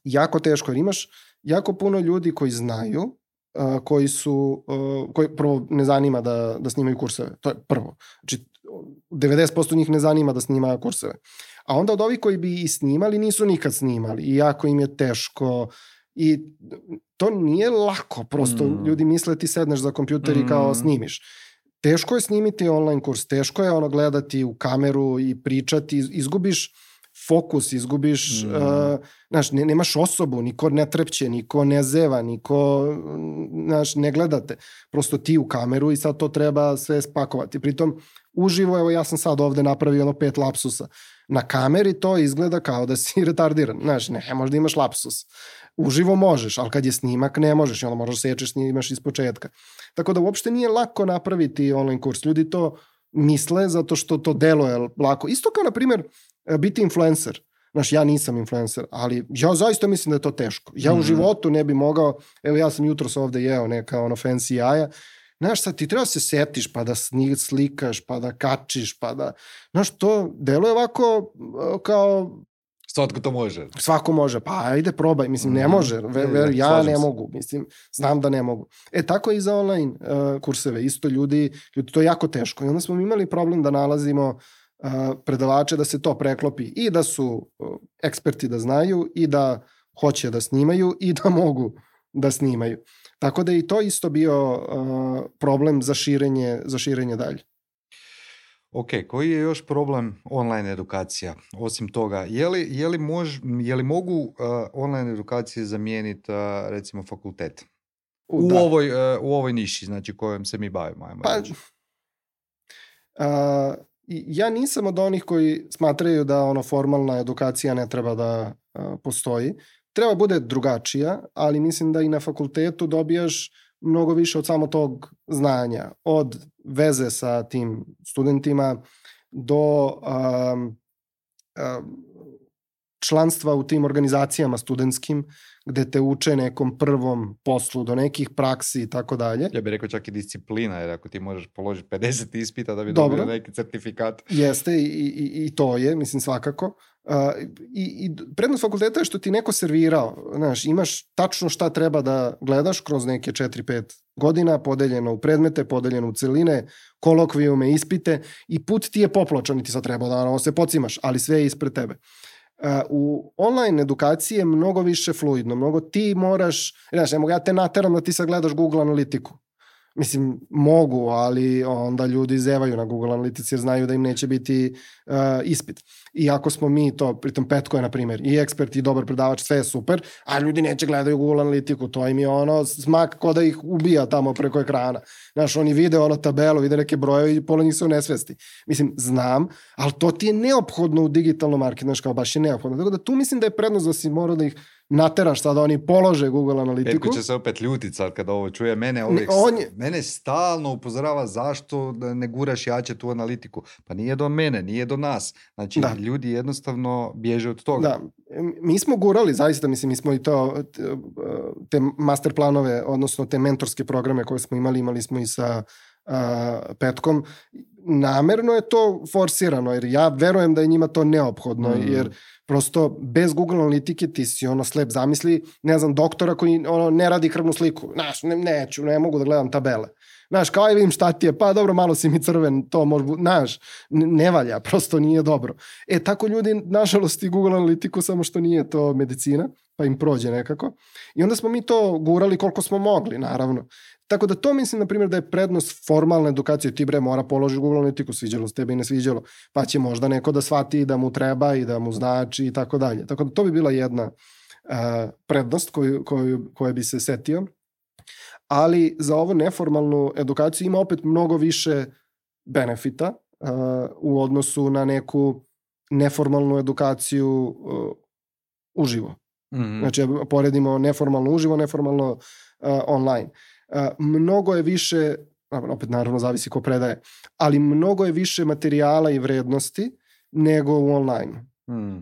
jako teško, jer imaš jako puno ljudi koji znaju, uh, koji su, uh, koji prvo ne zanima da, da snimaju kurseve. To je prvo. Znači, devedeset posto njih ne zanima da snima kurseve. A onda od ovih koji bi i snimali, nisu nikad snimali. I jako im je teško. I to nije lako. Prosto mm. ljudi misle ti sedneš za kompjuter mm. i kao snimiš. Teško je snimiti online kurs. Teško je ono gledati u kameru i pričati. Izgubiš fokus, izgubiš, Mm. uh, znaš, ne, nemaš osobu, niko ne trepće, niko ne zeva, niko, znaš, ne gledate. Prosto ti u kameru i sad to treba sve spakovati. Pritom, uživo, evo ja sam sad ovde napravio ono pet lapsusa. Na kameri to izgleda kao da si retardiran. Znaš, ne, možda imaš lapsus. Uživo možeš, ali kad je snimak ne možeš i onda možeš sečeš, snimaš iz početka. Tako da uopšte nije lako napraviti online kurs. Ljudi to misle zato što to deluje lako. Isto kao, na primjer, biti influencer. Znaš, ja nisam influencer, ali ja zaista mislim da je to teško. Ja u životu ne bi mogao, evo ja sam jutros ovde jeo neka ono fancy jaja. Znaš, sad ti treba se setiš, pa da slikaš, pa da kačiš, pa da... Znaš, to deluje ovako kao... Svatko to može. Svako može, pa ajde probaj, mislim, ne može, ver, ver, ja ne mogu, mislim, znam da ne mogu. E, tako je i za online uh, kurseve, isto ljudi, ljudi, to je jako teško i onda smo imali problem da nalazimo uh, predavače da se to preklopi i da su uh, eksperti da znaju i da hoće da snimaju i da mogu da snimaju. Tako da je i to isto bio uh, problem za širenje, za širenje dalje. Ok, koji je još problem online edukacija? Osim toga, je li, je li, mož, je li mogu uh, online edukacije zamijeniti uh, recimo fakultet? U, u, ovoj, uh, u ovoj niši, znači kojom se mi bavimo. Ajmo pa, uh, ja nisam od onih koji smatraju da ono formalna edukacija ne treba da uh, postoji. Treba bude drugačija, ali mislim da i na fakultetu dobijaš mnogo više od samo tog znanja, od veze sa tim studentima do um, um, članstva u tim organizacijama studentskim, gde te uče nekom prvom poslu, do nekih praksi i tako dalje. Ja bih rekao čak i disciplina, jer ako ti možeš položiti pedeset ispita da bi Dobro. dobio neki certifikat. Jeste, i, i, i to je, mislim, svakako. Uh, i, i prednost fakulteta je što ti neko servirao, znaš, imaš tačno šta treba da gledaš kroz neke četiri pet godina, podeljeno u predmete, podeljeno u celine, kolokvijume, ispite i put ti je popločan i ti sad treba da ono, se pocimaš, ali sve je ispred tebe. Uh, u online edukaciji je mnogo više fluidno, mnogo ti moraš, znaš, ne mogu ja te nateram da ti sad gledaš Google analitiku. Mislim, mogu, ali onda ljudi zevaju na Google Analytics jer znaju da im neće biti uh, ispit. I ako smo mi to, pritom Petko je, na primjer, i ekspert i dobar predavač, sve je super, a ljudi neće gledaju Google Analitiku, to im je ono smak ko da ih ubija tamo preko ekrana. Znaš, oni vide ono tabelu, vide neke brojeve i pola njih su u nesvesti. Mislim, znam, ali to ti je neophodno u digitalnom marketu, znaš, kao baš je neophodno. Tako da tu mislim da je prednost da si morao da ih nateraš sad da oni polože Google Analitiku. Petko će se opet ljutit sad kada ovo čuje. Mene, ovih, je... mene stalno upozorava zašto ne guraš jače tu analitiku. Pa nije do mene, nije do nas. Znači, da. Ljudi jednostavno bježe od toga. Da, mi smo gurali, zaista, mislim, mi smo i to, te master planove, odnosno te mentorske programe koje smo imali, imali smo i sa uh, Petkom. Namerno je to forsirano, jer ja verujem da je njima to neophodno, mm. jer prosto bez Google Analitike ti si ono slep, zamisli, ne znam, doktora koji ono ne radi krvnu sliku. Znaš, ne, neću, ne mogu da gledam tabele. Znaš, kao aj vidim šta ti je, pa dobro, malo si mi crven, to može, znaš, ne valja, prosto nije dobro. E, tako ljudi, nažalost, i Google Analitiku, samo što nije to medicina, pa im prođe nekako. I onda smo mi to gurali koliko smo mogli, naravno. Tako da to mislim, na primjer, da je prednost formalne edukacije. Ti bre mora položiti Google Analitiku, sviđalo se tebi i ne sviđalo, pa će možda neko da shvati da mu treba i da mu znači i tako dalje. Tako da to bi bila jedna uh, prednost koju, koju, koju bi se setio. Ali za ovu neformalnu edukaciju ima opet mnogo više benefita uh, u odnosu na neku neformalnu edukaciju uh, uživo. Mm-hmm. Znači, poredimo neformalno uživo, neformalno uh, online. Uh, mnogo je više, opet naravno zavisi ko predaje, ali mnogo je više materijala i vrednosti nego u online. Mm. Uh,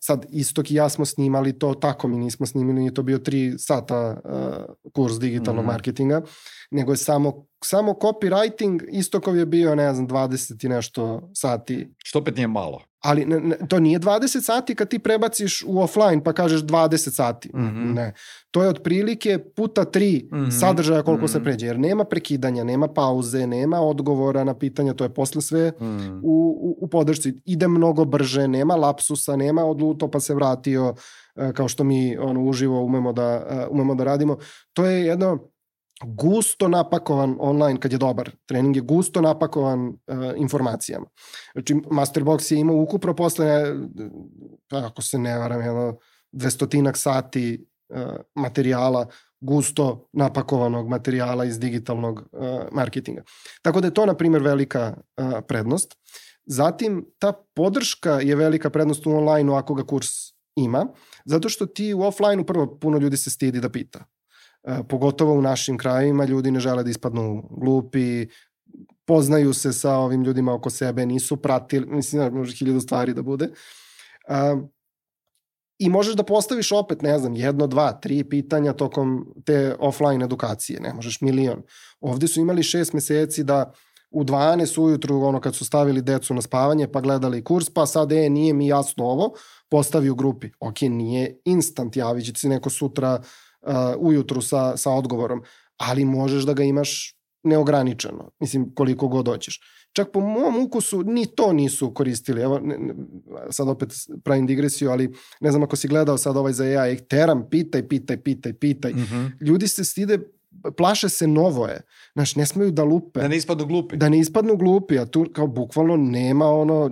sad, Istok i ja smo snimali to tako, mi nismo snimili, nije to bio tri sata uh, kurs digitalnog mm. marketinga, nego je samo, samo copywriting, Istokov je bio, ne znam, dvadeset i nešto sati. Što opet nije malo. Ali ne, ne, to nije dvadeset sati kad ti prebaciš u offline pa kažeš dvadeset sati. Mm-hmm. Ne. To je otprilike puta tri mm-hmm. sadržaja koliko mm-hmm. se pređe. Jer nema prekidanja, nema pauze, nema odgovora na pitanja, to je posle sve mm. u, u, u podršci. Ide mnogo brže, nema lapsusa, nema odluto pa se vratio, kao što mi ono, uživo umemo da, umemo da radimo. To je jedno gusto napakovan online, kad je dobar trening, je gusto napakovan uh, informacijama. Znači, Masterbox je imao ukupno posle, ako se ne varam, jedno dvestotinak sati uh, materijala, gusto napakovanog materijala iz digitalnog uh, marketinga. Tako da je to, na primjer, velika uh, prednost. Zatim, ta podrška je velika prednost u online-u ako ga kurs ima, zato što ti u offline-u prvo puno ljudi se stidi da pita. Uh, pogotovo u našim krajima ljudi ne žele da ispadnu glupi, poznaju se sa ovim ljudima oko sebe, nisu pratili, mislim, može hiljadu stvari da bude. Uh, I možeš da postaviš opet, ne znam, jedno, dva, tri pitanja tokom te offline edukacije, ne možeš milion. Ovde su imali šest meseci da u dvanaest ujutru, ono kad su stavili decu na spavanje, pa gledali kurs, pa sad, e, nije mi jasno ovo, postavi u grupi. Ok, nije instant, javit će ti neko sutra uh, ujutru sa, sa odgovorom, ali možeš da ga imaš neograničeno, mislim, koliko god hoćeš. Čak po mom ukusu ni to nisu koristili. Evo, ne, ne, sad opet pravim digresiju, ali ne znam ako si gledao sad ovaj za A I, teram, pitaj, pitaj, pitaj, pitaj. Mm-hmm. Ljudi se stide, plaše se novo je. Znaš, ne smeju da lupe. Da ne ispadnu glupi. Da ne ispadnu glupi, a tu kao bukvalno nema ono...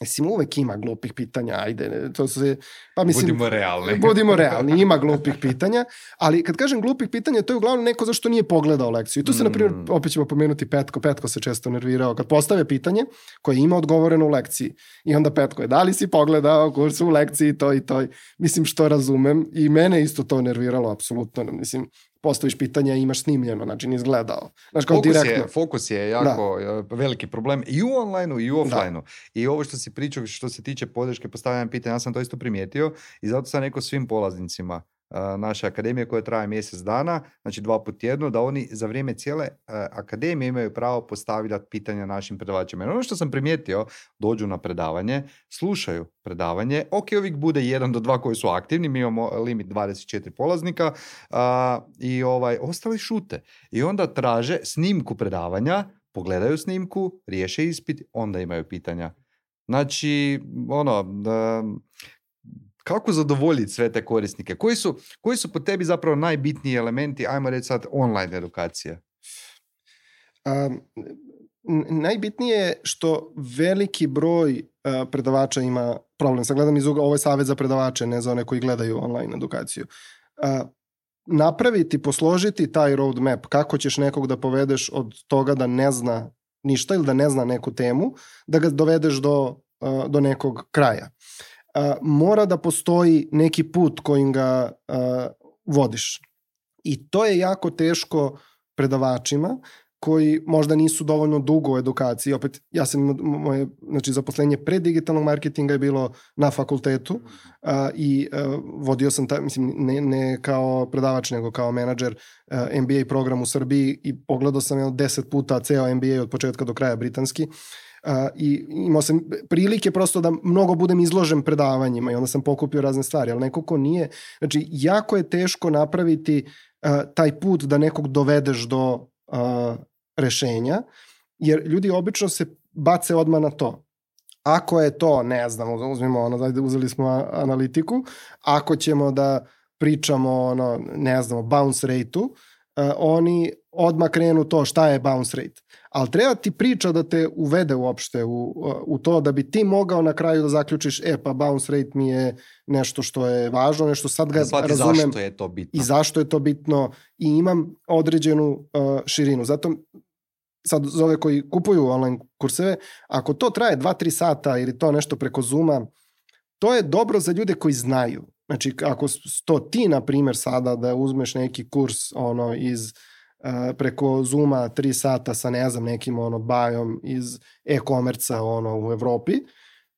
Mislim, uvek ima glupih pitanja, ajde, to se... Pa mislim, budimo realni. Budimo realni, ima glupih pitanja, ali kad kažem glupih pitanja, to je uglavnom neko zašto nije pogledao lekciju. I tu se, mm. na primjer, opet ćemo pomenuti Petko, Petko se često nervirao, kad postave pitanje koje ima odgovoreno u lekciji, i onda Petko je, da li si pogledao kurs u lekciji, to i to, mislim, što razumem, i mene isto to nerviralo, apsolutno, mislim, postaviš pitanja i imaš snimljeno, znači nisi gledao. Znaš, kao fokus, direktno. je, fokus je jako da. veliki problem i u online-u i u offline-u. Da. I ovo što si pričao, što se tiče podrške postavljanja pitanja, ja sam to isto primijetio i zato sam rekao svim polaznicima uh, naše akademije koja traje mjesec dana, znači dva put tjedno, da oni za vrijeme cijele uh, akademije imaju pravo postavljati pitanja našim predavačima. Jer ono što sam primijetio, dođu na predavanje, slušaju predavanje, ok, uvijek bude jedan do dva koji su aktivni, mi imamo limit dvadeset četiri polaznika uh, i ovaj, ostali šute. I onda traže snimku predavanja, pogledaju snimku, riješe ispit, onda imaju pitanja. Znači, ono, da, kako zadovoljiti sve te korisnike? Koji su, koji su po tebi zapravo najbitniji elementi, ajmo reći sad, online edukacije? Um, najbitnije je što veliki broj uh, predavača ima problem. Sad gledam iz ugla, ovo je savjet za predavače, ne za one koji gledaju online edukaciju. Uh, napraviti, posložiti taj roadmap, kako ćeš nekog da povedeš od toga da ne zna ništa ili da ne zna neku temu, da ga dovedeš do, uh, do nekog kraja. Uh, mora da postoji neki put kojim ga uh, vodiš. I to je jako teško predavačima koji možda nisu dovoljno dugo u edukaciji. Opet, ja sam, moje znači, zaposlenje pre digitalnog marketinga je bilo na fakultetu uh, i uh, vodio sam, ta, mislim, ne, ne kao predavač, nego kao menadžer uh, M B A program u Srbiji i pogledao sam jedno deset puta ceo M B A od početka do kraja britanski. Uh, i imao sam prilike prosto da mnogo budem izložen predavanjima i onda sam pokupio razne stvari, ali neko ko nije, znači jako je teško napraviti uh, taj put da nekog dovedeš do uh, rešenja, jer ljudi obično se bace odmah na to. Ako je to, ne znam, uzmimo ono, uzeli smo analitiku, ako ćemo da pričamo ono, ne znam, o bounce rate-u, uh, oni odmah krenu to šta je bounce rate. Ali treba ti priča da te uvede uopšte u, u to da bi ti mogao na kraju da zaključiš, e pa bounce rate mi je nešto što je važno, nešto sad ga Zvati razumem. Zašto je to bitno. I zašto je to bitno i imam određenu uh, širinu. Zato sad za ove koji kupuju online kurseve, ako to traje dva do tri sata ili to nešto preko Zooma, to je dobro za ljude koji znaju. Znači ako to ti, na primjer, sada da uzmeš neki kurs ono iz Uh, preko Zooma tri sata sa ne znam nekim ono bajom iz e-komerca ono u Evropi,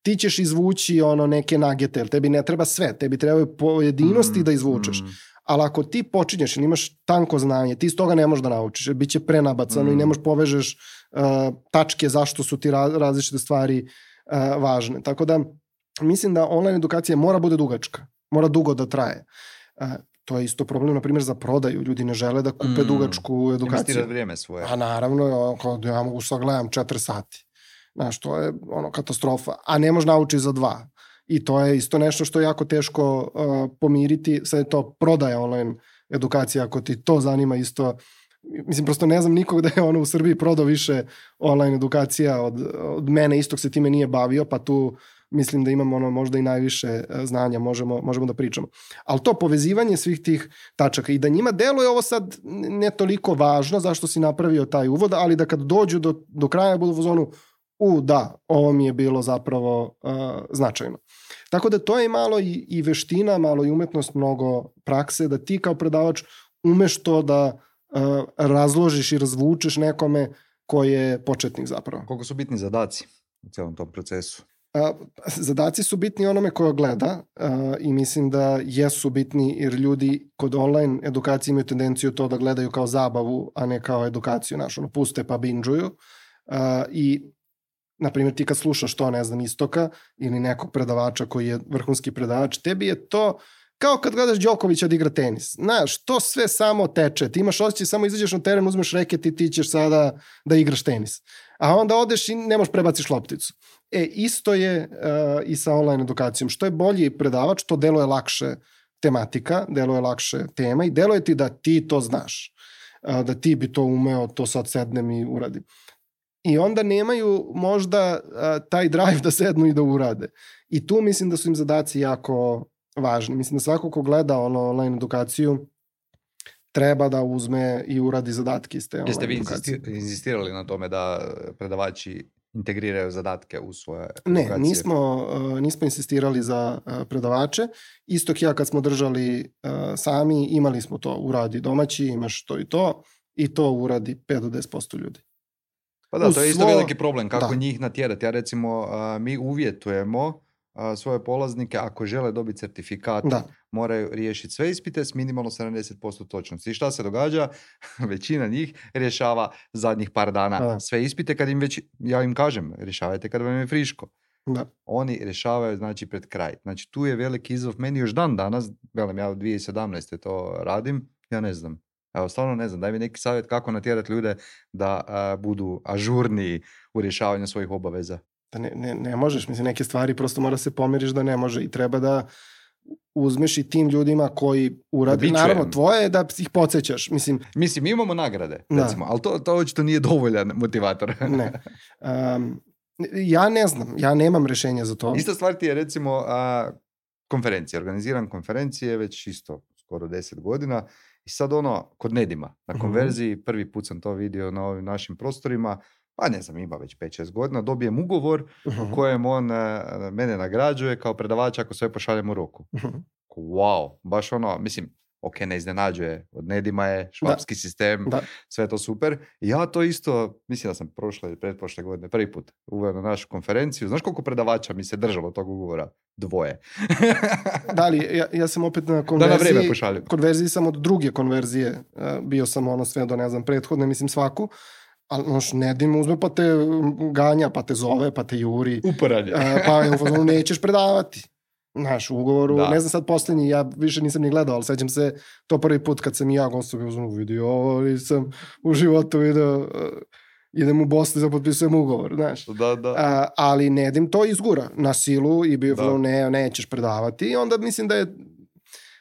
ti ćeš izvući ono neke nagete, jer tebi ne treba sve, tebi trebaju pojedinosti mm, da izvučeš. Mm. Ali ako ti počinješ ili imaš tanko znanje, ti iz toga ne možeš da naučiš, jer bit će prenabacano mm. i ne možeš povežeš uh, tačke zašto su ti ra- različite stvari uh, važne. Tako da mislim da online edukacija mora bude dugačka, mora dugo da traje. Uh, To je isto problem, na primjer, za prodaju. Ljudi ne žele da kupe mm. dugačku edukaciju. Investirati vrijeme svoje. A naravno, ja mogu sad gledam četiri sati. Znaš, to je ono katastrofa. A ne može naučiti za dva. I to je isto nešto što je jako teško uh, pomiriti. Sad je to prodaja online edukacija, ako ti to zanima isto. Mislim, prosto ne znam nikog da je ono u Srbiji prodao više online edukacija od, od mene, istog se time nije bavio, pa tu mislim da imamo ono možda i najviše znanja, možemo, možemo da pričamo. Ali to povezivanje svih tih tačaka i da njima deluje ovo sad ne toliko važno zašto si napravio taj uvod, ali da kad dođu do, do kraja budu u zonu u da, ovo mi je bilo zapravo uh, značajno. Tako da to je malo i, i veština, malo i umetnost, mnogo prakse, da ti kao predavač umeš to da uh, razložiš i razvučeš nekome ko je početnik zapravo. Koliko su bitni zadaci u celom tom procesu? Uh, zadaci su bitni onome koja gleda uh, i mislim da jesu bitni jer ljudi kod online edukacije imaju tendenciju to da gledaju kao zabavu, a ne kao edukaciju našu. Ono, puste pa binđuju uh, i na primjer ti kad slušaš to, ne znam, Istoka ili nekog predavača koji je vrhunski predavač, tebi je to kao kad gledaš Đokovića da igra tenis. Znaš, to sve samo teče. Ti imaš osjećaj, samo izađeš na teren, uzmeš reket i ti ćeš sada da igraš tenis. A onda odeš i ne možeš prebaciš lopticu. E, isto je uh, i sa online edukacijom. Što je bolji predavač, to deluje lakše tematika, deluje lakše tema i deluje ti da ti to znaš. Uh, da ti bi to umeo, to sad sednem i uradim. I onda nemaju možda uh, taj drive da sednu i da urade. I tu mislim da su im zadaci jako važni. Mislim da svako ko gleda ono online edukaciju treba da uzme i uradi zadatke iz te online Jeste vi edukacije. insisti- insistirali na tome da predavači integriraju zadatke u svoje edukacije? Ne, nismo, uh, nismo insistirali za uh, predavače. Istok ja kad smo držali uh, sami, imali smo to, uradi domaći, imaš to i to, i to uradi pet do deset posto ljudi. Pa da, u to je isto svo- veliki problem, kako da. njih natjerati. Ja recimo, a, mi uvjetujemo a, svoje polaznike, ako žele dobiti certifikat, Da. moraju riješiti sve ispite s minimalno sedamdeset posto točnosti. I šta se događa? Većina njih rješava zadnjih par dana Da. sve ispite, kad im već, ja im kažem, rješavajte kad vam je friško. Da. Oni rješavaju, znači, pred kraj. Znači, tu je veliki izazov. Meni još dan danas, velim, ja u dvije tisuće sedamnaeste to radim, ja ne znam. Evo, stvarno ne znam. Daj mi neki savjet kako natjerati ljude da a, budu ažurniji u rješavanju svojih obaveza. Da ne, ne, ne možeš, mislim, neke stvari prosto mora se pomiriš da ne može i treba da uzmeš i tim ljudima koji urade. Bičujem. Naravno, tvoje je da ih podsjećaš. Mislim, Mislim, mi imamo nagrade, Da. recimo, ali to, to očito nije dovoljan motivator. ne. Um, ja ne znam, ja nemam rešenja za to. Ista stvar ti je, recimo, a, konferencije. Organiziram konferencije već isto skoro deset godina i sad ono, kod Nedima, na Mhm. konverziji, prvi put sam to vidio na ovim našim prostorima, pa ne znam, ima već pet šest godina, dobijem ugovor Mhm. u kojem on e, mene nagrađuje kao predavača ako sve pošaljem u roku. Mhm. Wow, baš ono, mislim, ok, ne iznenađuje, od Nedima je, švapski sistem, Da. sve to super. I ja to isto, mislim da sam prošle ili pretprošle godine prvi put uveo na našu konferenciju. Znaš koliko predavača mi se držalo tog ugovora? Dvoje. Da li, ja, ja sam opet na Da na konverziji, vreme pošaljem. konverziji sam od druge konverzije, uh, bio sam ono sve do, ne znam, prethodne, mislim svaku, ali noš, Nedim uzme pa te ganja, pa te zove, pa te juri, Uporanje. uh, pa je u fazonu nećeš predavati. Znaš, u ugovoru, Da. ne znam sad posljednji, ja više nisam ni gledao, ali sećam se to prvi put kad sam i ja gostovao, u fazonu vidio ovo, nisam u životu vidio, uh, idem u Bosnu da potpisujem ugovor, znaš. Da, da. A, ali Nedim to izgura na silu i bio Da. da. ne, nećeš predavati i onda mislim da je,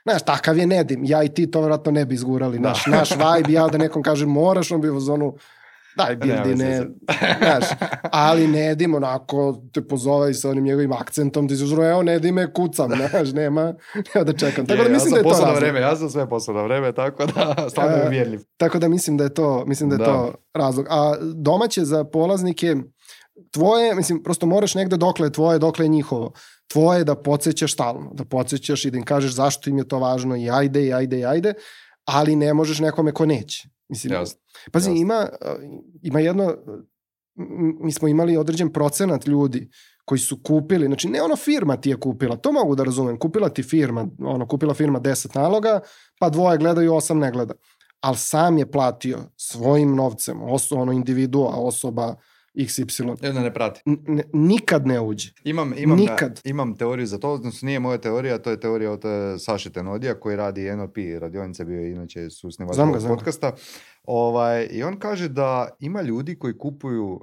znaš, takav je Nedim, ja i ti to vjerojatno ne bi izgurali, Da. naš, naš vibe, ja da nekom kažem moraš, on bi u zonu, daj Nema bildi, veze ne, sad. znaš, ali Nedim onako te pozove i sa onim njegovim akcentom, ti se uzro, evo Nedime, kucam, znaš, nema, nema da čekam. Tako da Je, mislim ja da sam je to posao na razlog. vreme, ja sam sve posao na vreme, tako da stvarno je E, uvjerljiv. Tako da mislim da je to, mislim da je Da. to razlog. A domaće za polaznike, tvoje, mislim, prosto moraš negde dokle je tvoje, dokle je njihovo. Tvoje je da podsjećaš stalno, da podsjećaš i da im kažeš zašto im je to važno i ajde, i ajde, i ajde, ali ne možeš nekome ko neće. Mislim, Jasno. pazi, jasno. ima, ima jedno, m- mi smo imali određen procenat ljudi koji su kupili, znači ne ono firma ti je kupila, to mogu da razumem, kupila ti firma, ono, kupila firma deset naloga, pa dvoje gledaju, osam ne gleda. Ali sam je platio svojim novcem, oso, ono individua, osoba iks ipsilon. I onda ne prati. N- n- nikad ne uđe. Imam, imam, Nikad. imam teoriju za to, odnosno nije moja teorija, to je teorija od eh, Saše Tenodija koji radi en el pe radionice, bio je inače susnivač Znam ga, ovog znam ga. podcasta. Ovaj, I on kaže da ima ljudi koji kupuju uh,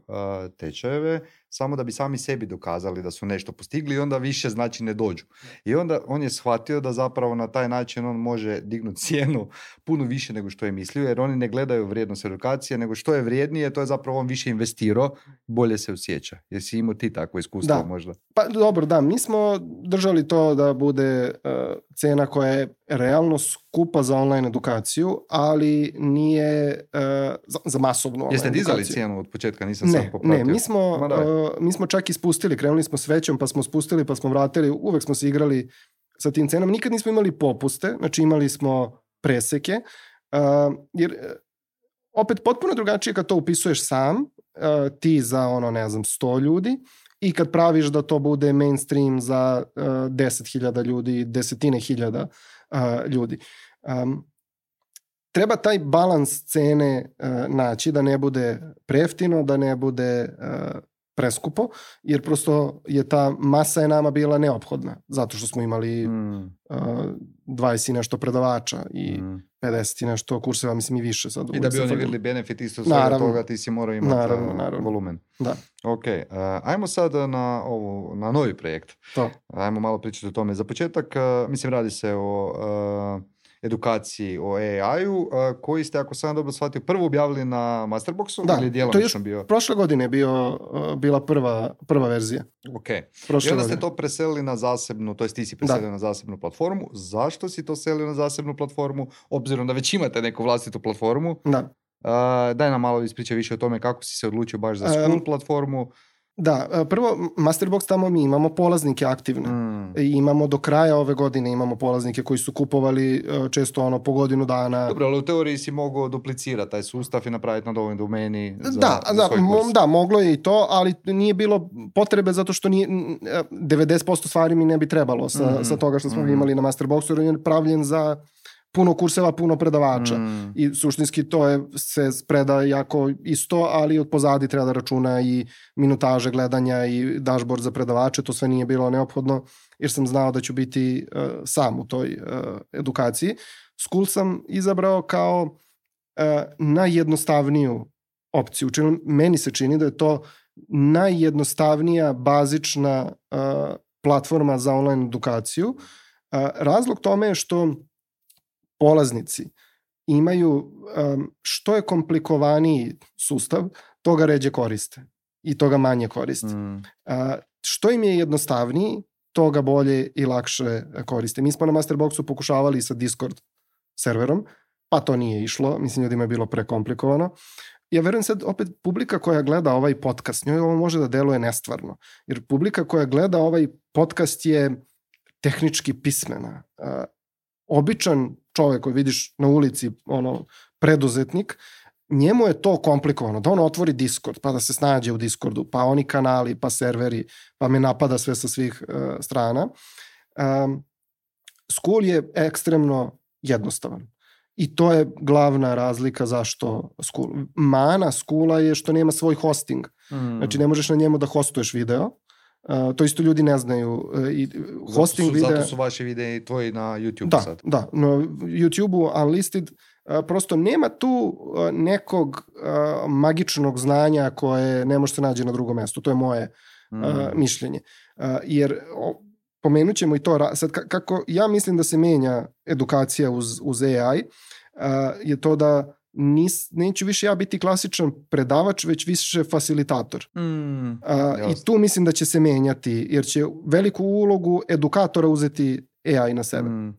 tečajeve samo da bi sami sebi dokazali da su nešto postigli i onda više znači ne dođu. I onda on je shvatio da zapravo na taj način on može dignuti cijenu puno više nego što je mislio, jer oni ne gledaju vrijednost edukacije, nego što je vrijednije, to je zapravo on više investirao, bolje se osjeća. Jesi imao ti takvo iskustvo da. možda? Pa dobro, da, mi smo držali to da bude uh, cena koja je realno skupa za online edukaciju, ali nije uh, za, za masovnu online Jeste edukaciju. dizali cijenu od početka? Nisam ne, sad popratio. Ne, mi smo, uh, mi smo čak i spustili, krenuli smo s većom, pa smo spustili, pa smo vratili, uvek smo se igrali sa tim cenama. Nikad nismo imali popuste, znači imali smo preseke, uh, jer opet potpuno drugačije kad to upisuješ sam, uh, ti za ono, ne znam, sto ljudi, i kad praviš da to bude mainstream za uh, deset hiljada ljudi, desetine hiljada uh, ljudi. Um, treba taj balans cene uh, naći, da ne bude prejeftino, da ne bude uh, preskupo, jer prosto je ta masa je nama bila neophodna, zato što smo imali mm. uh, dvadeset i nešto predavača i mm. pedeset i nešto kurseva, mislim i više sad. I da bi oni vidjeli benefit isto svega toga, ti si morao imati naravno, naravno. volumen. Da. Ok, uh, ajmo sad na, ovu, na novi projekt. To. Ajmo malo pričati o tome. Za početak, uh, mislim, radi se o uh, edukaciji o A I-u, uh, koji ste, ako sam dobro shvatio, prvo objavili na Masterboxu, da, ili djelomično bio? Prošle godine je bio, uh, bila prva, prva verzija. Ok. Prošle I onda godine. ste to preselili na zasebnu, to jest ti si preselio da. na zasebnu platformu. Zašto si to selio na zasebnu platformu? Obzirom da već imate neku vlastitu platformu. Da. Uh, daj nam malo ispričaj više o tome kako si se odlučio baš za School um, platformu. Da, prvo Masterbox tamo mi imamo polaznike aktivne mm. i imamo do kraja ove godine imamo polaznike koji su kupovali često ono po godinu dana. Dobro, ali u teoriji si mogao duplicirati taj sustav i napraviti na dovoljnoj domeni za, da, za da, svoj kurs. Da, moglo je i to, ali nije bilo potrebe zato što nije, devedeset posto stvari mi ne bi trebalo sa, mm. sa toga što smo mm. imali na Masterboxu, jer je pravljen za puno kurseva, puno predavača mm. i suštinski to je se spreda jako isto, ali od pozadi treba da računa i minutaže gledanja i dashboard za predavače, to sve nije bilo neophodno jer sam znao da ću biti uh, sam u toj uh, edukaciji. School sam izabrao kao uh, najjednostavniju opciju. Čini, meni se čini da je to najjednostavnija bazična uh, platforma za online edukaciju. Uh, razlog tome je što polaznici imaju um, što je komplikovaniji sustav, toga ređe koriste i toga manje koriste. Mm. Uh, što im je jednostavniji, toga bolje i lakše koriste. Mi smo na Masterboxu pokušavali sa Discord serverom, pa to nije išlo, mislim ljudima je bilo prekomplikovano. Ja verujem sad opet publika koja gleda ovaj podcast, njoj ovo može da deluje nestvarno, jer publika koja gleda ovaj podcast je tehnički pismena. Uh, običan čovjek koji vidiš na ulici, ono, preduzetnik, njemu je to komplikovano, da on otvori Discord, pa da se snađe u Discordu, pa oni kanali, pa serveri, pa me napada sve sa svih uh, strana. Um, School je ekstremno jednostavan. I to je glavna razlika zašto School. Mana Schoola je što nema svoj hosting. Mm. Znači ne možeš na njemu da hostuješ video. Uh, to isto ljudi ne znaju. Uh, i hosting zato, su, videa... zato su vaši videi tvoji na YouTube da, sad. Da, na YouTube-u Unlisted uh, prosto nema tu uh, nekog uh, magičnog znanja koje ne može se naći na drugom mjestu. To je moje mm. uh, mišljenje. Uh, jer o, pomenut ćemo i to, sad kako ja mislim da se menja edukacija uz, uz A I, uh, je to da Nis, neću više ja biti klasičan predavač, već više facilitator. Mm, uh, I tu mislim da će se menjati, jer će veliku ulogu edukatora uzeti A I na sebe. Mm.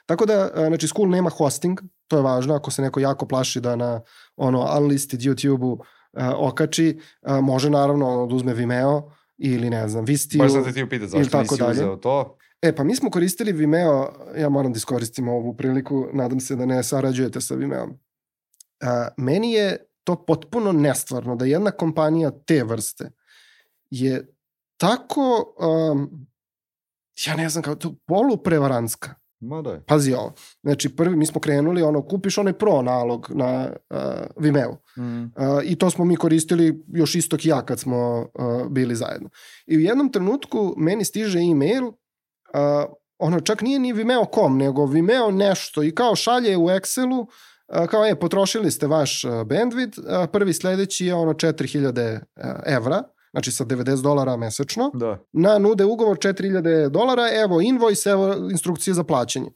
Tako da, uh, znači, School nema hosting, to je važno, ako se neko jako plaši da na ono Unlisted YouTube-u uh, okači, uh, može naravno da uzme Vimeo ili ne znam, Vistiju. Baš sam te ti upitati, zašto nisi dalje. uzeo to? E, pa mi smo koristili Vimeo, ja moram da iskoristim ovu priliku, nadam se da ne sarađujete sa Vimeom. Uh, meni je to potpuno nestvarno da jedna kompanija te vrste je tako, um, ja ne znam, kao to poluprevarantska. Ma daj. Pazi ovo. Znači, prvi, mi smo krenuli, ono, kupiš onaj pro nalog na uh, Vimeo. Mm. Uh, I to smo mi koristili još istok ja kad smo uh, bili zajedno. I u jednom trenutku meni stiže e-mail, uh, ono, čak nije ni Vimeo dot com, nego Vimeo nešto i kao šalje u Excelu kao je, potrošili ste vaš bandwidth, prvi sledeći je ono četiri hiljade evra, znači sa devedeset dolara mesečno, da. Na nude ugovor četiri hiljade dolara, evo invoice, evo instrukcije za plaćanje.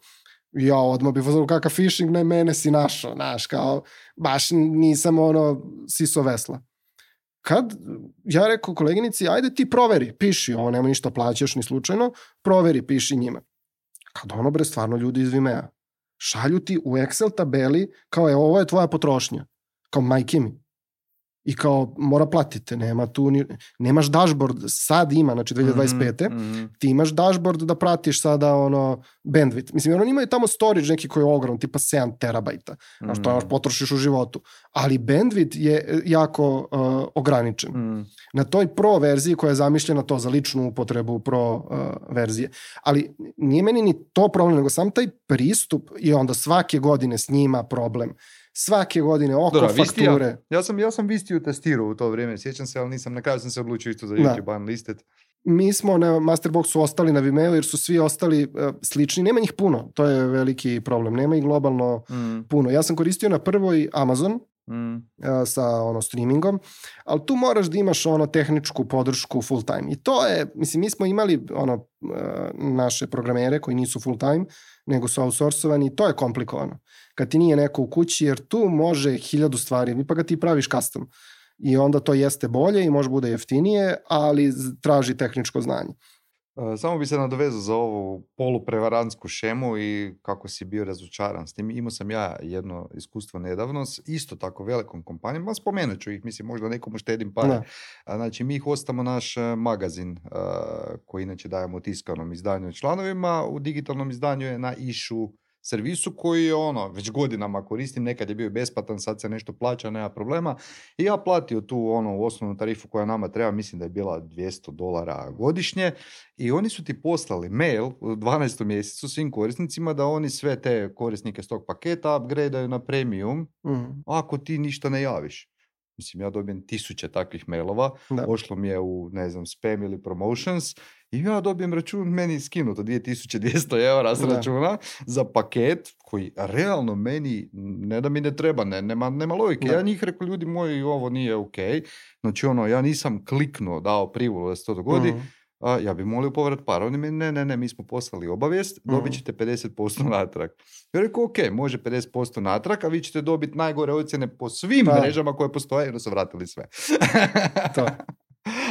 Ja odmah bih pozvao kakav phishing, ne mene si našao, znaš, kao, baš nisam ono siso vesla. Kad ja rekao koleginici, ajde ti proveri, piši, ovo nema ništa plaćaš ni slučajno, proveri, piši njima. Kad ono bre, stvarno ljudi iz Vimea, šalju ti u Excel tabeli, kao je, ovo je tvoja potrošnja, kao majke mi. I kao, mora platite, nema tu, ni, nemaš dashboard, sad ima, znači dve hiljade dvadeset pete Mm-hmm. Ti imaš dashboard da pratiš sada ono bandwidth. Mislim, ono imaju tamo storage neki koji je ogrom, tipa sedam terabajta, mm-hmm. a što još potrošiš u životu. Ali bandwidth je jako uh, ograničen. Mm-hmm. Na toj pro verziji koja je zamišljena to za ličnu upotrebu pro uh, verzije. Ali nije meni ni to problem, nego sam taj pristup i onda svake godine s njima problem. Svake godine oko Dora, fakture. Ja, ja sam ja sam Vistiju testirao u to vrijeme, sjećam se, ali nisam, na kraju sam se odlučio isto za YouTube unlisted. Mi smo na Masterboxu ostali na Vimeo jer su svi ostali uh, slični, nema njih puno, to je veliki problem, nema ih globalno mm. puno. Ja sam koristio na prvoj Amazon mm. uh, sa ono streamingom, ali tu moraš da imaš ono tehničku podršku full time. I to je, mislim, mi smo imali ono uh, naše programere koji nisu full time, nego su outsourcovani i to je komplikovano. Kad ti nije neko u kući, jer tu može hiljadu stvari, pa ga ti praviš custom. I onda to jeste bolje i može bude jeftinije, ali traži tehničko znanje. Samo bi se nadovezao za ovu poluprevarantsku šemu i kako si bio razočaran s tim. Imao sam ja jedno iskustvo nedavno s isto tako velikom kompanijom, spomenut ću ih, mislim možda nekomu štedim pare. Znači mi ih ostamo naš magazin koji inače dajemo u tiskanom izdanju članovima, u digitalnom izdanju je na Išu servisu koji je ono, već godinama koristim, nekad je bio besplatan, sad se nešto plaća, nema problema. I ja platio tu ono osnovnu tarifu koja nama treba, mislim da je bila dvjesto dolara godišnje i oni su ti poslali mail u dvanaestom mjesecu svim korisnicima da oni sve te korisnike s tog paketa upgradeaju na premium mm. ako ti ništa ne javiš. Mislim, ja dobijem tisuće takvih mailova, da. Pošlo mi je u, ne znam, spam ili promotions i ja dobijem račun, meni skinuto dvije tisuće dvjesto eura s računa za paket koji realno meni, ne da mi ne treba, ne, nema, nema logike. Da. Ja njih rekao, ljudi moji, ovo nije ok. Znači, ono, ja nisam kliknuo, dao privolu da se to dogodi, uh-huh. a, ja bi molio povrat para. Oni mi, ne, ne, ne, mi smo poslali obavijest, uh-huh. dobit ćete pedeset posto natrag. Ja rekao, ok, može pedeset posto natrag, a vi ćete dobiti najgore ocjene po svim pa. mrežama koje postoje, jer su vratili sve. To.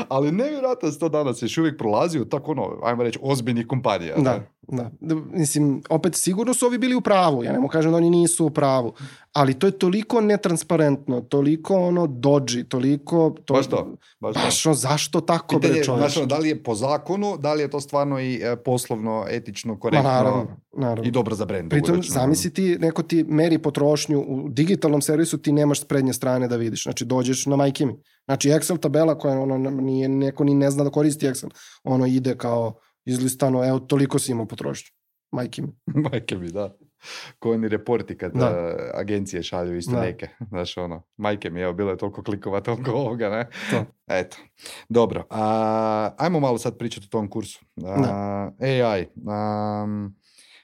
Ali nevjerojatno se to danas još uvijek prolazi u tako ono, ajmo reći, ozbiljnih kompanija. Da, da, da. Mislim, opet sigurno su ovi bili u pravu. Ja ne mogu kažem da oni nisu u pravu. Ali to je toliko netransparentno, toliko ono dodgy, toliko... To, baš to. Baš, baš to. Zašto tako, bre čovječ? Znaš, da li je po zakonu, da li je to stvarno i e, poslovno, etično, korektno naravno, naravno. i dobro za brend. Pritom, zamisli ti, neko ti meri potrošnju u digitalnom servisu, ti nemaš s prednje strane da vidiš. Znači, dođeš na majke mi. Znači, Excel tabela koja ono, nije, neko ni ne zna da koristi Excel. Ono ide kao izlistano, evo, toliko si imao potrošnju. Majke mi. Majke mi, da. Ko oni reporti kad da. uh, agencije šalju isto da. neke. Znaš, ono, majke mi, evo, bilo je toliko klikova, toliko ovoga, ne? To. Eto. Dobro. Uh, ajmo malo sad pričati o tom kursu. Uh, A I. Um,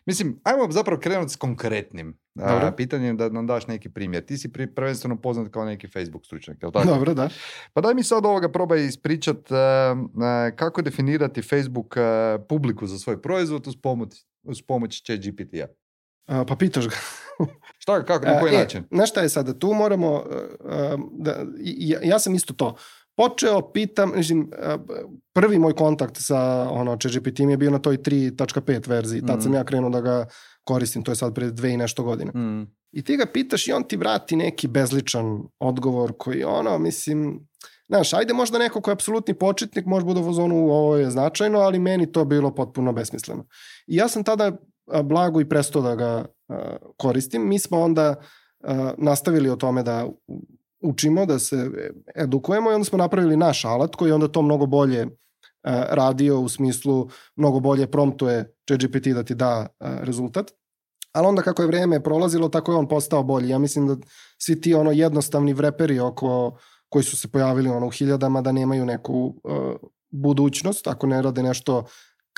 mislim, ajmo zapravo krenuti s konkretnim uh, pitanjem da nam daš neki primjer. Ti si pri, prvenstveno poznat kao neki Facebook stručnjak, je li tako? Dobro, da. Pa daj mi sad ovoga probaj ispričat uh, uh, kako definirati Facebook uh, publiku za svoj proizvod uz pomoć, uz pomoć Chat G P T-a. Uh, pa pitaš ga. Šta, kako, na koji uh, način? E, znaš šta je sada? Tu moramo, uh, da, ja, ja sam isto to. Počeo, pitam, mislim, prvi moj kontakt sa ono, Chat G P T-im je bio na toj tri tačka pet verziji. Tad mm. sam ja krenuo da ga koristim, to je sad pred dve i nešto godine. Mm. I ti ga pitaš i on ti vrati neki bezličan odgovor koji ono, mislim, znaš, ajde možda neko koji je apsolutni početnik, može bude u fazonu, ovo je značajno, ali meni to bilo potpuno besmisleno. I ja sam tada blago i prestao da ga uh, koristim. Mi smo onda uh, nastavili o tome da učimo, da se edukujemo i onda smo napravili naš alat koji onda to mnogo bolje uh, radio u smislu mnogo bolje promptuje Chat G P T da ti da uh, rezultat. Ali onda kako je vrijeme prolazilo, tako je on postao bolji. Ja mislim da svi ti ono jednostavni vreperi oko, koji su se pojavili ono u hiljadama da nemaju neku uh, budućnost, ako ne rade nešto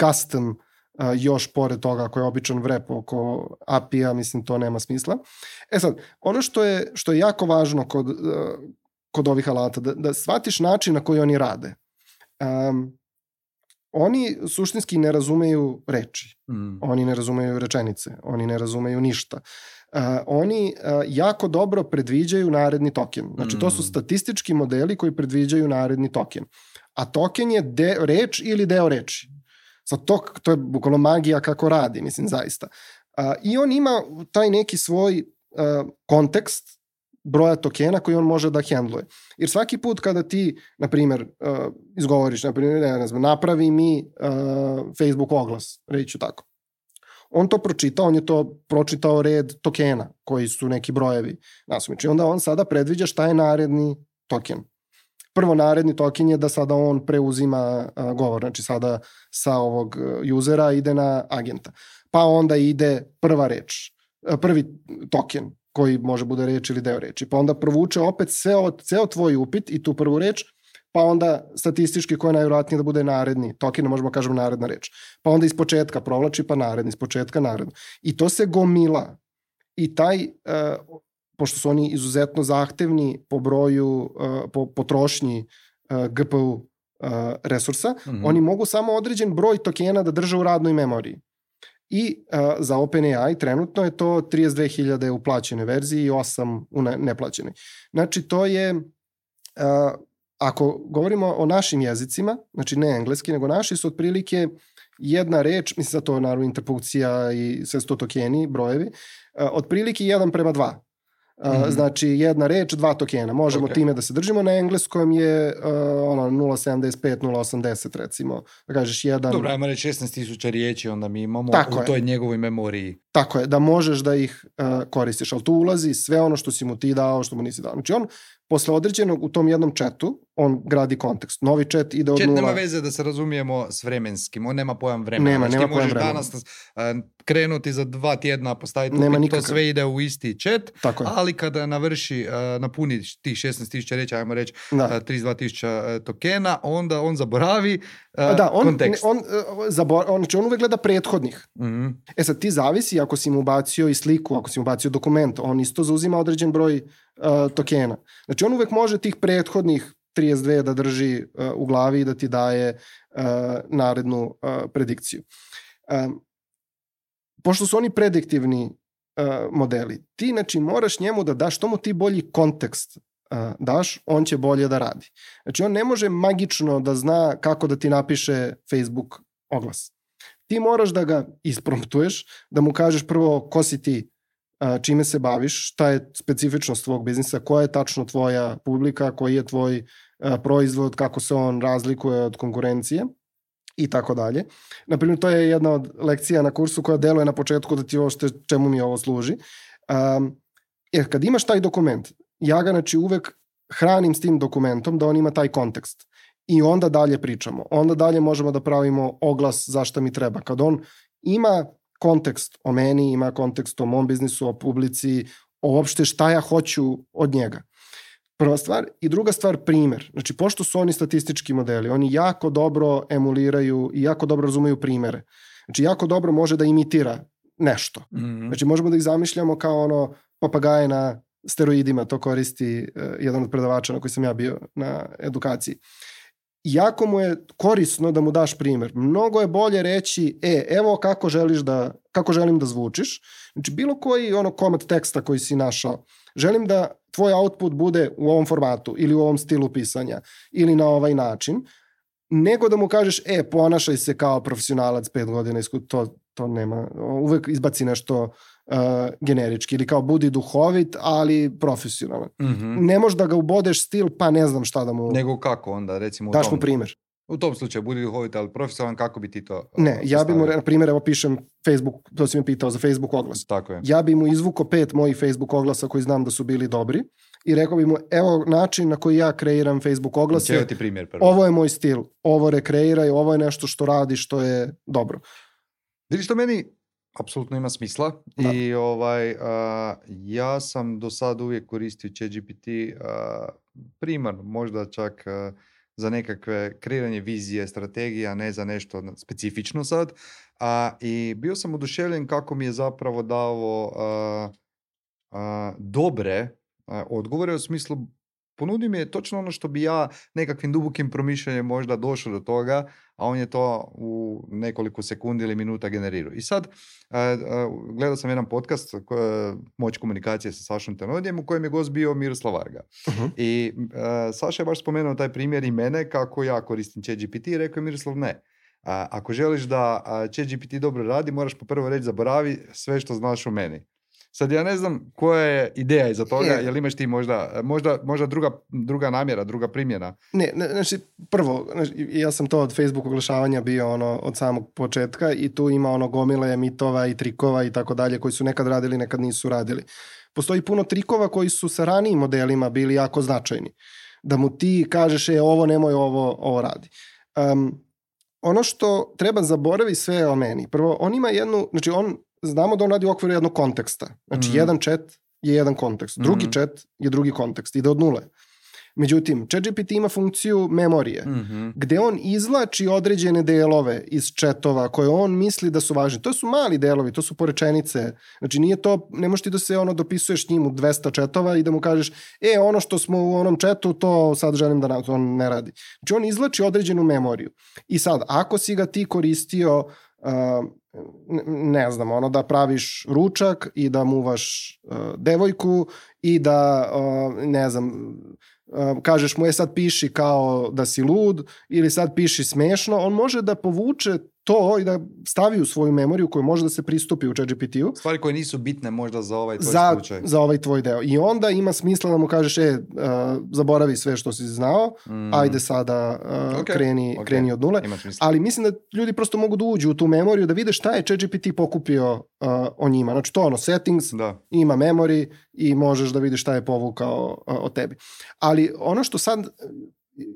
custom a, još pored toga ako je običan vrep oko A P I-a, mislim to nema smisla. E sad, ono što je, što je jako važno kod, a, kod ovih alata, da, da shvatiš način na koji oni rade. Um, oni suštinski ne razumeju reči, mm. oni ne razumeju rečenice, oni ne razumeju ništa. Uh, oni uh, jako dobro predviđaju naredni token. Znači, to su statistički modeli koji predviđaju naredni token. A token je de, reč ili deo reči. Sad, to, to je bukvalno magija kako radi, mislim, zaista. Uh, I on ima taj neki svoj uh, kontekst broja tokena koji on može da hendluje. Jer svaki put kada ti, na primjer, uh, izgovoriš, na primjer, ne, ne znam, napravi mi uh, Facebook oglas, reću tako. On to pročitao, on je to pročitao red tokena, koji su neki brojevi nasumični. Onda on sada predviđa šta je naredni token. Prvo naredni token je da sada on preuzima uh, govor, znači sada sa ovog usera ide na agenta. Pa onda ide prva reč, uh, prvi token, koji može bude reč ili deo reči. Pa onda provuče opet ceo, ceo tvoj upit i tu prvu reč, pa onda statistički koja je najvjerojatnije da bude naredni token, možemo kažemo naredna reč. Pa onda iz početka provlači, pa naredni, iz početka naredno. I to se gomila. I taj, uh, pošto su oni izuzetno zahtevni po broju, uh, po potrošnji uh, G P U uh, resursa, mm-hmm. oni mogu samo određen broj tokena da drže u radnoj memoriji. I uh, za OpenAI trenutno je to trideset dve hiljade u plaćenoj verziji i osam u ne, neplaćenoj. Znači to je, uh, ako govorimo o našim jezicima, znači ne engleski, nego naši su otprilike jedna reč, mislim da to je naravno interpunkcija i sve sto tokeni, brojevi, uh, otprilike jedan prema dva. Uh, mm-hmm. Znači jedna reč, dva tokena. Možemo okay. time da se držimo. Na engleskom je uh, ono nula sedamdeset pet, nula osamdeset recimo. Da kažeš jedan... Dobro, ajmo reći šesnaest tisuća riječi, onda mi imamo Tako u je. toj njegovoj memoriji. Tako je, da možeš da ih uh, koristiš, ali tu ulazi sve ono što si mu ti dao, što mu nisi dao. Znači on posle određenog u tom jednom chatu, on gradi kontekst. Novi chat ide od Chat nula... nema veze da se razumijemo s vremenskim, on nema pojam vremena. Nema, znači, nema ti možeš pojam danas uh, krenuti za dva tjedna, postaviti nema upit, nikakav. to sve ide u isti chat, Tako je. ali kada navrši, uh, napuni tih šesnaest tisuća reći, ajmo reći uh, trideset dva tisuća uh, tokena, onda on zaboravi uh, da, on, kontekst. On, on, zabor, on, znači on uvek gleda prethodnih. Mm-hmm. E sad, ti zavisi ako si mu ubacio i sliku, ako si mu ubacio dokument, on isto zauzima određen broj uh, tokena. Znači on uvek može tih prethodnih trideset dve da drži uh, u glavi i da ti daje uh, narednu uh, predikciju. Um, pošto su oni prediktivni uh, modeli, ti znači moraš njemu da daš, što mu ti bolji kontekst uh, daš, on će bolje da radi. Znači on ne može magično da zna kako da ti napiše Facebook oglas. Ti moraš da ga ispromptuješ, da mu kažeš prvo ko si ti, čime se baviš, šta je specifičnost tvog biznisa, koja je tačno tvoja publika, koji je tvoj proizvod, kako se on razlikuje od konkurencije i tako dalje. Naprimjer, to je jedna od lekcija na kursu koja deluje na početku da ti ošte čemu mi ovo služi. Um, jer kad imaš taj dokument, ja ga znači uvek hranim s tim dokumentom da on ima taj kontekst. I onda dalje pričamo. Onda dalje možemo da pravimo oglas zašto mi treba. Kad on ima kontekst o meni, ima kontekst o mom biznisu, o publici, o uopšte šta ja hoću od njega. Prva stvar. I druga stvar, primer. Znači, pošto su oni statistički modeli, oni jako dobro emuliraju i jako dobro razumeju primere. Znači, jako dobro može da imitira nešto. Mm-hmm. Znači, možemo da ih zamišljamo kao ono papagaje na steroidima, to koristi uh, jedan od predavača na koji sam ja bio na edukaciji. Jako mu je korisno da mu daš primjer. Mnogo je bolje reći, e, evo kako želiš da, kako želim da zvučiš. Znači, bilo koji ono komad teksta koji si našao, želim da tvoj output bude u ovom formatu ili u ovom stilu pisanja ili na ovaj način, nego da mu kažeš, e, ponašaj se kao profesionalac pet godina iskustva, to, to nema, uvek izbaci nešto uh, generički ili kao budi duhovit, ali profesionalan. Mm-hmm. Ne možeš da ga ubodeš stil, pa ne znam šta da mu... Nego kako onda, recimo u daš tom... mu primjer. U tom slučaju, budi duhovit, ali profesionalan, kako bi ti to... Ne, ja bi mu, na primjer, evo pišem Facebook, to si mi pitao za Facebook oglas. Tako je. Ja bi mu izvuko pet mojih Facebook oglasa koji znam da su bili dobri i rekao bi mu, evo način na koji ja kreiram Facebook oglase. Evo ti primjer prvo. Ovo je moj stil, ovo rekreiraj, ovo je nešto što radi, što je dobro. Vidiš, to meni apsolutno ima smisla. Da. I ovaj, uh, ja sam do sad uvijek koristio ChatGPT uh, primarno, možda čak uh, za nekakve kreiranje vizije, strategija, ne za nešto specifično sad. A, I bio sam oduševljen kako mi je zapravo dao a, a, dobre a, odgovore u smislu ponudi mi je točno ono što bi ja nekakvim dubokim promišljanjem možda došao do toga, a on je to u nekoliko sekundi ili minuta generirao. I sad uh, uh, gledao sam jedan podcast, uh, Moć komunikacije sa Sašom Tenodijem, u kojem je gost bio Miroslav Varga. Uh-huh. I uh, Saša je baš spomenuo taj primjer i mene kako ja koristim ChatGPT i rekao je Miroslav ne. Uh, ako želiš da uh, ChatGPT dobro radi, moraš po prvo reći zaboravi sve što znaš o meni. Sad ja ne znam koja je ideja iza toga, je. Jel imaš ti možda, možda, možda druga, druga namjera, druga primjena? Ne, ne, znači prvo, znači, ja sam to od Facebook oglašavanja bio ono od samog početka i tu ima ono gomile mitova i trikova i tako dalje koji su nekad radili, nekad nisu radili. Postoji puno trikova koji su sa ranijim modelima bili jako značajni. Da mu ti kažeš je ovo nemoj ovo, ovo radi. Um, ono što treba zaboravi sve o meni. Prvo, on ima jednu, znači on znamo da on radi u okviru jednog konteksta. Znači, mm. jedan chat je jedan kontekst. Drugi mm. chat je drugi kontekst. Ide od nule. Međutim, ChatGPT ima funkciju memorije, mm-hmm. gde on izvlači određene delove iz chatova koje on misli da su važni. To su mali delovi, to su porečenice. Znači, nije to, ne možeš ti da se ono dopisuješ njim u dvesta chatova i da mu kažeš, e, ono što smo u onom chatu, to sad želim da nam, to on ne radi. Znači, on izvlači određenu memoriju. I sad, ako si ga ti koristio uh, ne znam, ono da praviš ručak i da muvaš uh, devojku i da, uh, ne znam, uh, kažeš mu je sad piši kao da si lud ili sad piši smešno, on može da povuče to i da stavi u svoju memoriju koju može da se pristupi u ChatGPT-u. Stvari koje nisu bitne možda za ovaj tvoj za, slučaj. Za ovaj tvoj deo. I onda ima smisla da mu kažeš, e, uh, zaboravi sve što si znao, mm. ajde sada uh, okay. kreni, okay. kreni od nule. Ali mislim da ljudi prosto mogu da uđu u tu memoriju, da vide šta je ChatGPT pokupio uh, o njima. Znači to ono, settings, da. Ima memory i možeš da vidiš šta je povukao uh, o tebi. Ali ono što sad...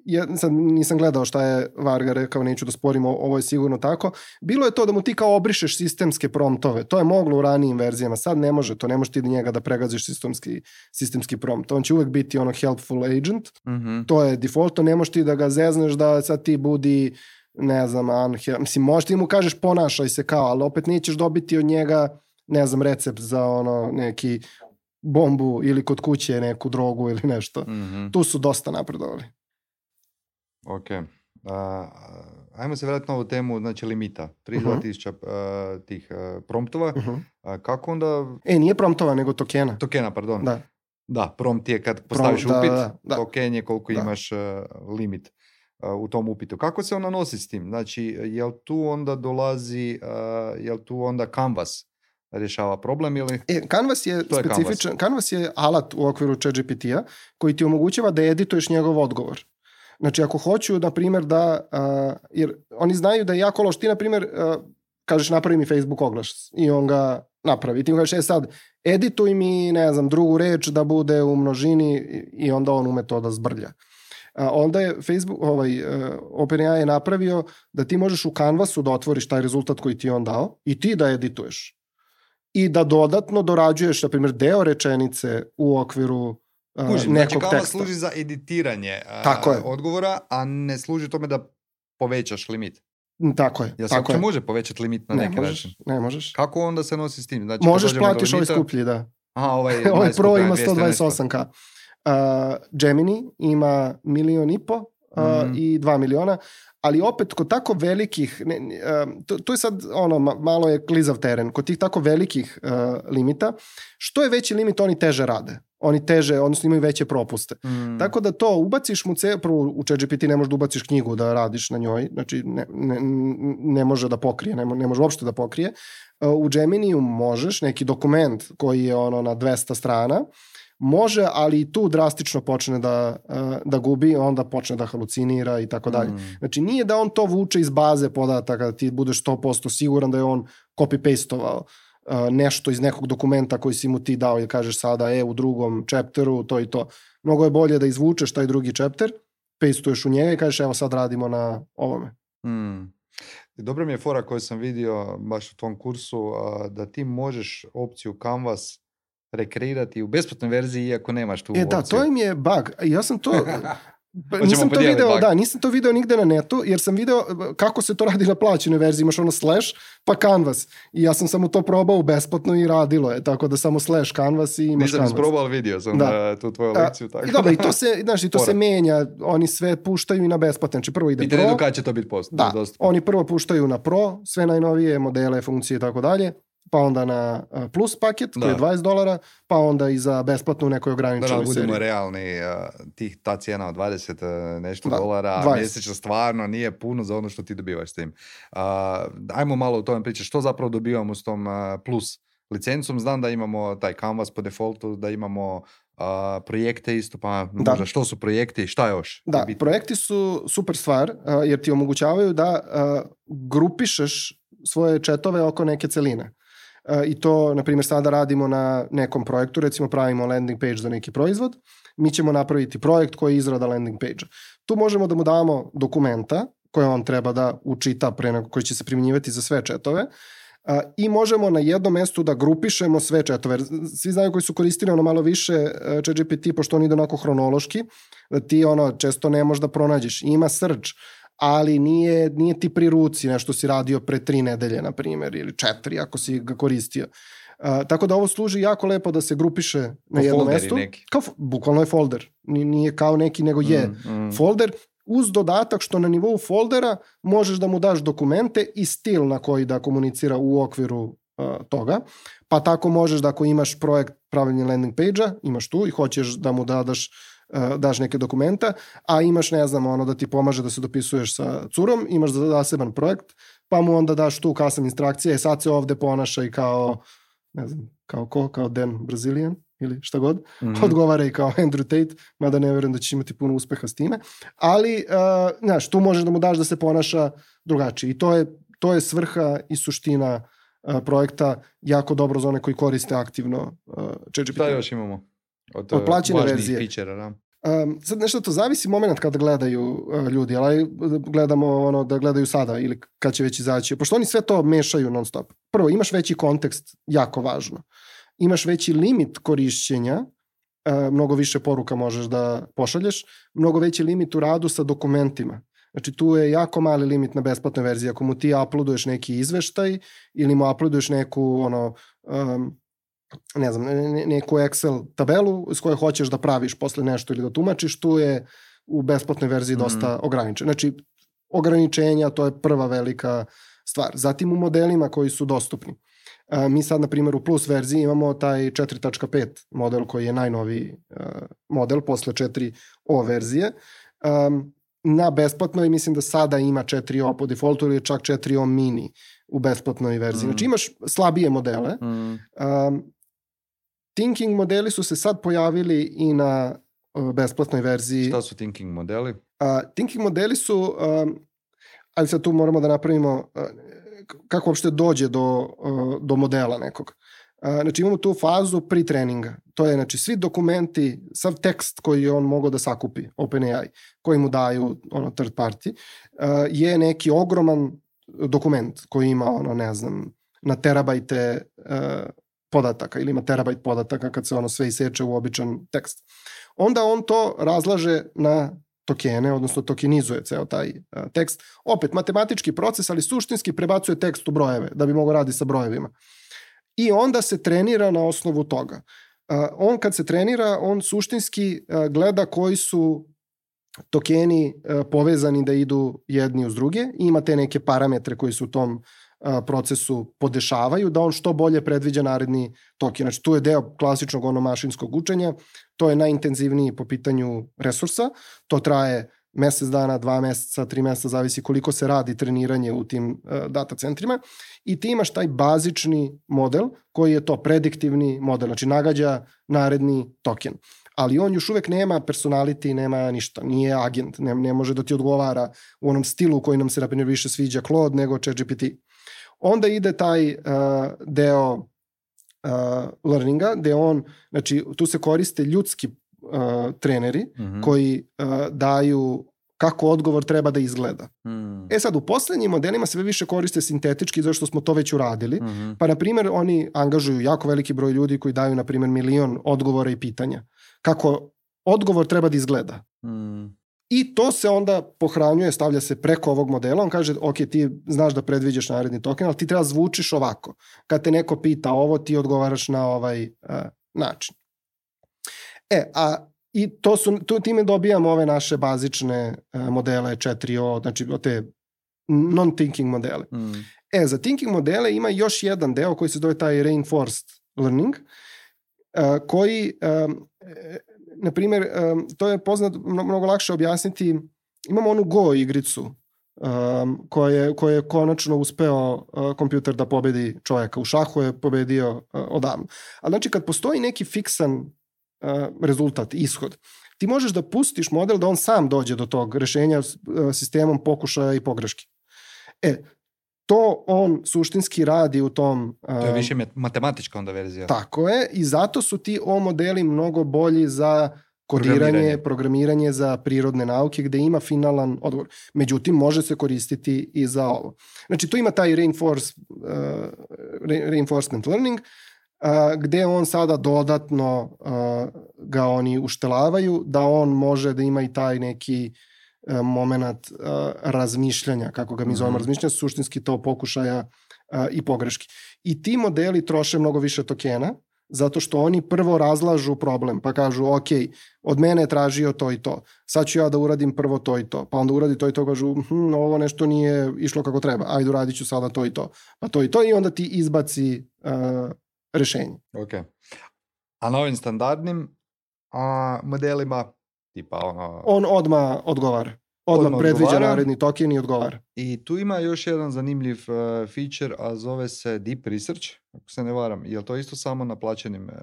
Ja sad nisam gledao šta je Varga rekao, neću da sporimo, ovo je sigurno tako. Bilo je to da mu ti kao obrišeš sistemske promptove. To je moglo u ranijim verzijama. Sad ne može to. Ne možeš ti da njega da pregaziš sistemski, sistemski prompt. On će uvek biti ono helpful agent. Mm-hmm. To je default. Ne možeš ti da ga zezneš da sad ti budi ne znam, unhe- mislim, možeš ti mu kažeš ponašaj se kao, ali opet nećeš dobiti od njega ne znam, recept za ono neki bombu ili kod kuće neku drogu ili nešto. Mm-hmm. Tu su dosta napredovali. Ok. Uh, ajmo se vratiti na ovu temu, znači limita. trideset dva tisuća uh, tih uh, promptova. Uh-huh. Uh, kako onda... E, nije promptova, nego tokena. Tokena, pardon. Da. Da, prompt je kad postaviš Prom, upit, da, da, token je koliko da. imaš uh, limit uh, u tom upitu. Kako se ona nosi s tim? Znači, jel tu onda dolazi, uh, jel tu onda Canvas rješava problem ili... E, Canvas je to specifičan, je Canvas. Canvas je alat u okviru ChatGPT-a koji ti omogućava da edituješ njegov odgovor. Znači, ako hoću, na primjer, da... Uh, jer oni znaju da je jako loš. Ti, na primjer, uh, kažeš napravi mi Facebook oglas i on ga napravi. Ti mu kažeš, e sad, edituj mi, ne znam, drugu reč da bude u množini i onda on ume to da zbrlja. Uh, onda je Facebook, ovaj, uh, OpenAI je napravio da ti možeš u Canvasu da otvoriš taj rezultat koji ti je on dao i ti da edituješ. I da dodatno dorađuješ, na primjer, deo rečenice u okviru Uh, Kužim, znači Canvas služi za editiranje uh, odgovora, a ne služi tome da povećaš limit. Tako je. Jel se uopće može povećati limit na ne neki možeš, način? Ne možeš. Kako onda se nosi s tim? Znači, možeš platiš ovaj skuplji, da. Aha, ovaj, ovaj Pro ima sto dvadeset osam ka. Uh, Gemini ima milion i po uh, mm. i dva miliona, ali opet kod tako velikih, ne, uh, to, to je sad ono, malo je klizav teren, kod tih tako velikih uh, limita, što je veći limit, oni teže rade. Oni teže, odnosno imaju veće propuste. Mm. Tako da to ubaciš mu, ce, prvo u ChatGPT ne možeš da ubaciš knjigu da radiš na njoj, znači ne, ne, ne može da pokrije, ne, ne može uopšte da pokrije. U Geminiju možeš neki dokument koji je ono na dvesta strana, može, ali i tu drastično počne da, da gubi, onda počne da halucinira i tako dalje. Znači nije da on to vuče iz baze podataka, da ti budeš sto posto siguran da je on copy-pastovao nešto iz nekog dokumenta koji si mu ti dao i kažeš sada, e, u drugom chapteru, to i to. Mnogo je bolje da izvučeš taj drugi chapter, pastuješ u njega i kažeš, evo sad radimo na ovome. Hmm. Dobro mi je fora koju sam vidio baš u tom kursu, da ti možeš opciju Canvas rekreirati u besplatnoj verziji iako nemaš tu e, opciju. Da, to im je bug. Ja sam to... Pa nisam to video, bug. da, nisam to video nigde na netu, jer sam video kako se to radi na plaćenoj verziji, imaš ono slash, pa canvas. I ja sam samo to probao besplatno i radilo je, tako da samo slash canvas i imaš nisam canvas. Nisam isprobao video, sam da. tu tvoju lekciju. Tako. I dobro, i to se, znaš, i to se menja, oni sve puštaju i na besplatno, znači prvo ide Pitanje pro. Pitanje do kada će to biti post. Da, oni prvo puštaju na pro, sve najnovije modele, funkcije i tako dalje, pa onda na plus paket koji da. je dvadeset dolara, pa onda i za besplatno u nekoj ograničenoj da, seriji. Da, budemo realni, tih, ta cijena od dvadeset nešto da, dolara dvadeset mjesečno stvarno nije puno za ono što ti dobivaš s tim. Uh, ajmo malo o tome pričati, što zapravo dobivamo s tom uh, plus licencom. Znam da imamo taj canvas po defaultu, da imamo uh, projekte isto, pa da. možda što su projekti i šta još? Da, projekti su super stvar, uh, jer ti omogućavaju da uh, grupišeš svoje chatove oko neke celine. I to, na primjer, sada radimo na nekom projektu, recimo pravimo landing page za neki proizvod, mi ćemo napraviti projekt koji je izrada landing page-a. Tu možemo da mu damo dokumenta koje on treba da učita, pre nego, koji će se primjenjivati za sve chatove, i možemo na jednom mjestu da grupišemo sve chatove. Svi znaju koji su koristili ono malo više ChatGPT, pošto on ide onako hronološki, da ti ono često ne možeš da pronađeš. Ima search, ali nije, nije ti pri ruci nešto si radio pre tri nedelje, na primjer, ili četiri ako si ga koristio. Uh, tako da ovo služi jako lepo da se grupiše na jedno mesto. Kao, bukvalno je folder. Nije kao neki, nego je mm, mm. folder, uz dodatak što na nivou foldera možeš da mu daš dokumente i stil na koji da komunicira u okviru uh, toga. Pa tako možeš da ako imaš projekt pravljenja landing page-a, imaš tu i hoćeš da mu dadaš daš neke dokumenta, a imaš, ne znam, ono da ti pomaže da se dopisuješ sa curom, imaš zaseban projekt, pa mu onda daš tu custom instrukcije, e sad se ovde ponaša i kao, ne znam, kao ko, kao Dan Brazilian ili šta god, mm-hmm. odgovara i kao Andrew Tate, mada ne vjerujem da ćeš imati puno uspeha s time, ali, uh, znaš, tu možeš da mu daš da se ponaša drugačije i to je, to je svrha i suština uh, projekta, jako dobro za one koji koriste aktivno uh, ChatGPT. Šta još imamo? Od, od plaćene verzije. Feature, da. Um, sad nešto to zavisi moment kada gledaju uh, ljudi, ali gledamo ono da gledaju sada ili kad će već izaći. Pošto oni sve to mešaju non stop. Prvo, imaš veći kontekst, jako važno. Imaš veći limit korišćenja, uh, mnogo više poruka možeš da pošalješ, mnogo veći limit u radu sa dokumentima. Znači tu je jako mali limit na besplatnoj verziji. Ako mu ti uploaduješ neki izveštaj ili mu uploaduješ neku ono um, ne znam, neku Excel tabelu s kojoj hoćeš da praviš posle nešto ili da tumačiš, tu je u besplatnoj verziji dosta mm. ograničeno. Znači, ograničenja, to je prva velika stvar. Zatim u modelima koji su dostupni. A, mi sad, na primjer, u plus verziji imamo taj četiri tačka pet model koji je najnoviji a, model posle četiri o verzije. A, na besplatnoj mislim da sada ima četiri o po defaultu ili čak četiri o mini u besplatnoj verziji. Mm. Znači imaš slabije modele. Mm. A, Thinking modeli su se sad pojavili i na uh, besplatnoj verziji. Šta su thinking modeli? Uh, thinking modeli su, um, ali sad tu moramo da napravimo uh, kako uopšte dođe do, uh, do modela nekog. Uh, znači imamo tu fazu pre-treninga. To je znači svi dokumenti, sav tekst koji on mogao da sakupi, OpenAI, koji mu daju ono, third party, uh, je neki ogroman dokument koji ima ono, ne znam, na terabajte uh, podataka ili ima terabajt podataka kad se ono sve iseče u običan tekst. Onda on to razlaže na tokene, odnosno tokenizuje ceo taj uh, tekst. Opet, matematički proces, ali suštinski prebacuje tekst u brojeve, da bi mogao raditi sa brojevima. I onda se trenira na osnovu toga. Uh, on kad se trenira, on suštinski uh, gleda koji su tokeni uh, povezani da idu jedni uz druge i ima te neke parametre koji su u tom procesu podešavaju, da on što bolje predviđa naredni token. Znači, tu je deo klasičnog ono mašinskog učenja, to je najintenzivniji po pitanju resursa, to traje mesec dana, dva meseca, tri meseca, zavisi koliko se radi treniranje u tim uh, data centrima i ti imaš taj bazični model koji je to prediktivni model, znači nagađa naredni token. Ali on još uvek nema personality, nema ništa, nije agent, ne, ne može da ti odgovara u onom stilu koji nam se na primjer više sviđa Claude nego ChatGPT. Onda ide taj uh, deo uh, learninga, gde on, znači tu se koriste ljudski uh, treneri mm-hmm. koji uh, daju kako odgovor treba da izgleda. Mm. E sad, u poslednjim modelima sve više koriste sintetički, zašto smo to već uradili. Mm-hmm. Pa, na primjer, oni angažuju jako veliki broj ljudi koji daju, na primjer, milion odgovora i pitanja. Kako odgovor treba da izgleda. Mm. I to se onda pohranjuje, stavlja se preko ovog modela, on kaže, ok, ti znaš da predviđaš naredni token, ali ti treba zvučiš ovako. Kad te neko pita ovo, ti odgovaraš na ovaj uh, način. E, a i to su, tu, time dobijamo ove naše bazične uh, modele četiri O, znači te non-thinking modele. Mm. E, za thinking modele ima još jedan deo koji se zove taj reinforced learning, uh, koji, um, na primjer, um, to je poznat, mnogo lakše objasniti, imamo onu Go igricu um, koja je, koja je konačno uspeo uh, kompjuter da pobedi čovjeka. U šahu je pobedio uh, odavno. Ali znači kad postoji neki fiksan uh, rezultat, ishod, ti možeš da pustiš model da on sam dođe do tog rešenja uh, sistemom pokušaja i pogreški. E, to on suštinski radi u tom... To je više matematička onda verzija. Tako je, i zato su ti O modeli mnogo bolji za kodiranje, programiranje, programiranje za prirodne nauke, gde ima finalan odgovor. Međutim, može se koristiti i za ovo. Znači, tu ima taj reinforce, uh, reinforcement learning, uh, gde on sada dodatno uh, ga oni uštelavaju, da on može da ima i taj neki moment uh, razmišljanja, kako ga mi zovemo, mm-hmm. razmišljanja, suštinski to pokušaja uh, i pogreški. I ti modeli troše mnogo više tokena, zato što oni prvo razlažu problem, pa kažu, ok, od mene je tražio to i to, sad ću ja da uradim prvo to i to, pa onda uradi to i to, kažu, hm, ovo nešto nije išlo kako treba, ajde uradit ću sada to i to, pa to i to, i onda ti izbaci uh, rešenje. Ok. A na ovim standardnim a, modelima tipa ono... On odmah odgovara. Odmah, odmah predviđa odgovara. Naredni token i odgovara. I tu ima još jedan zanimljiv uh, feature, a zove se Deep Research, ako se ne varam. Je li to isto samo na plaćenim uh,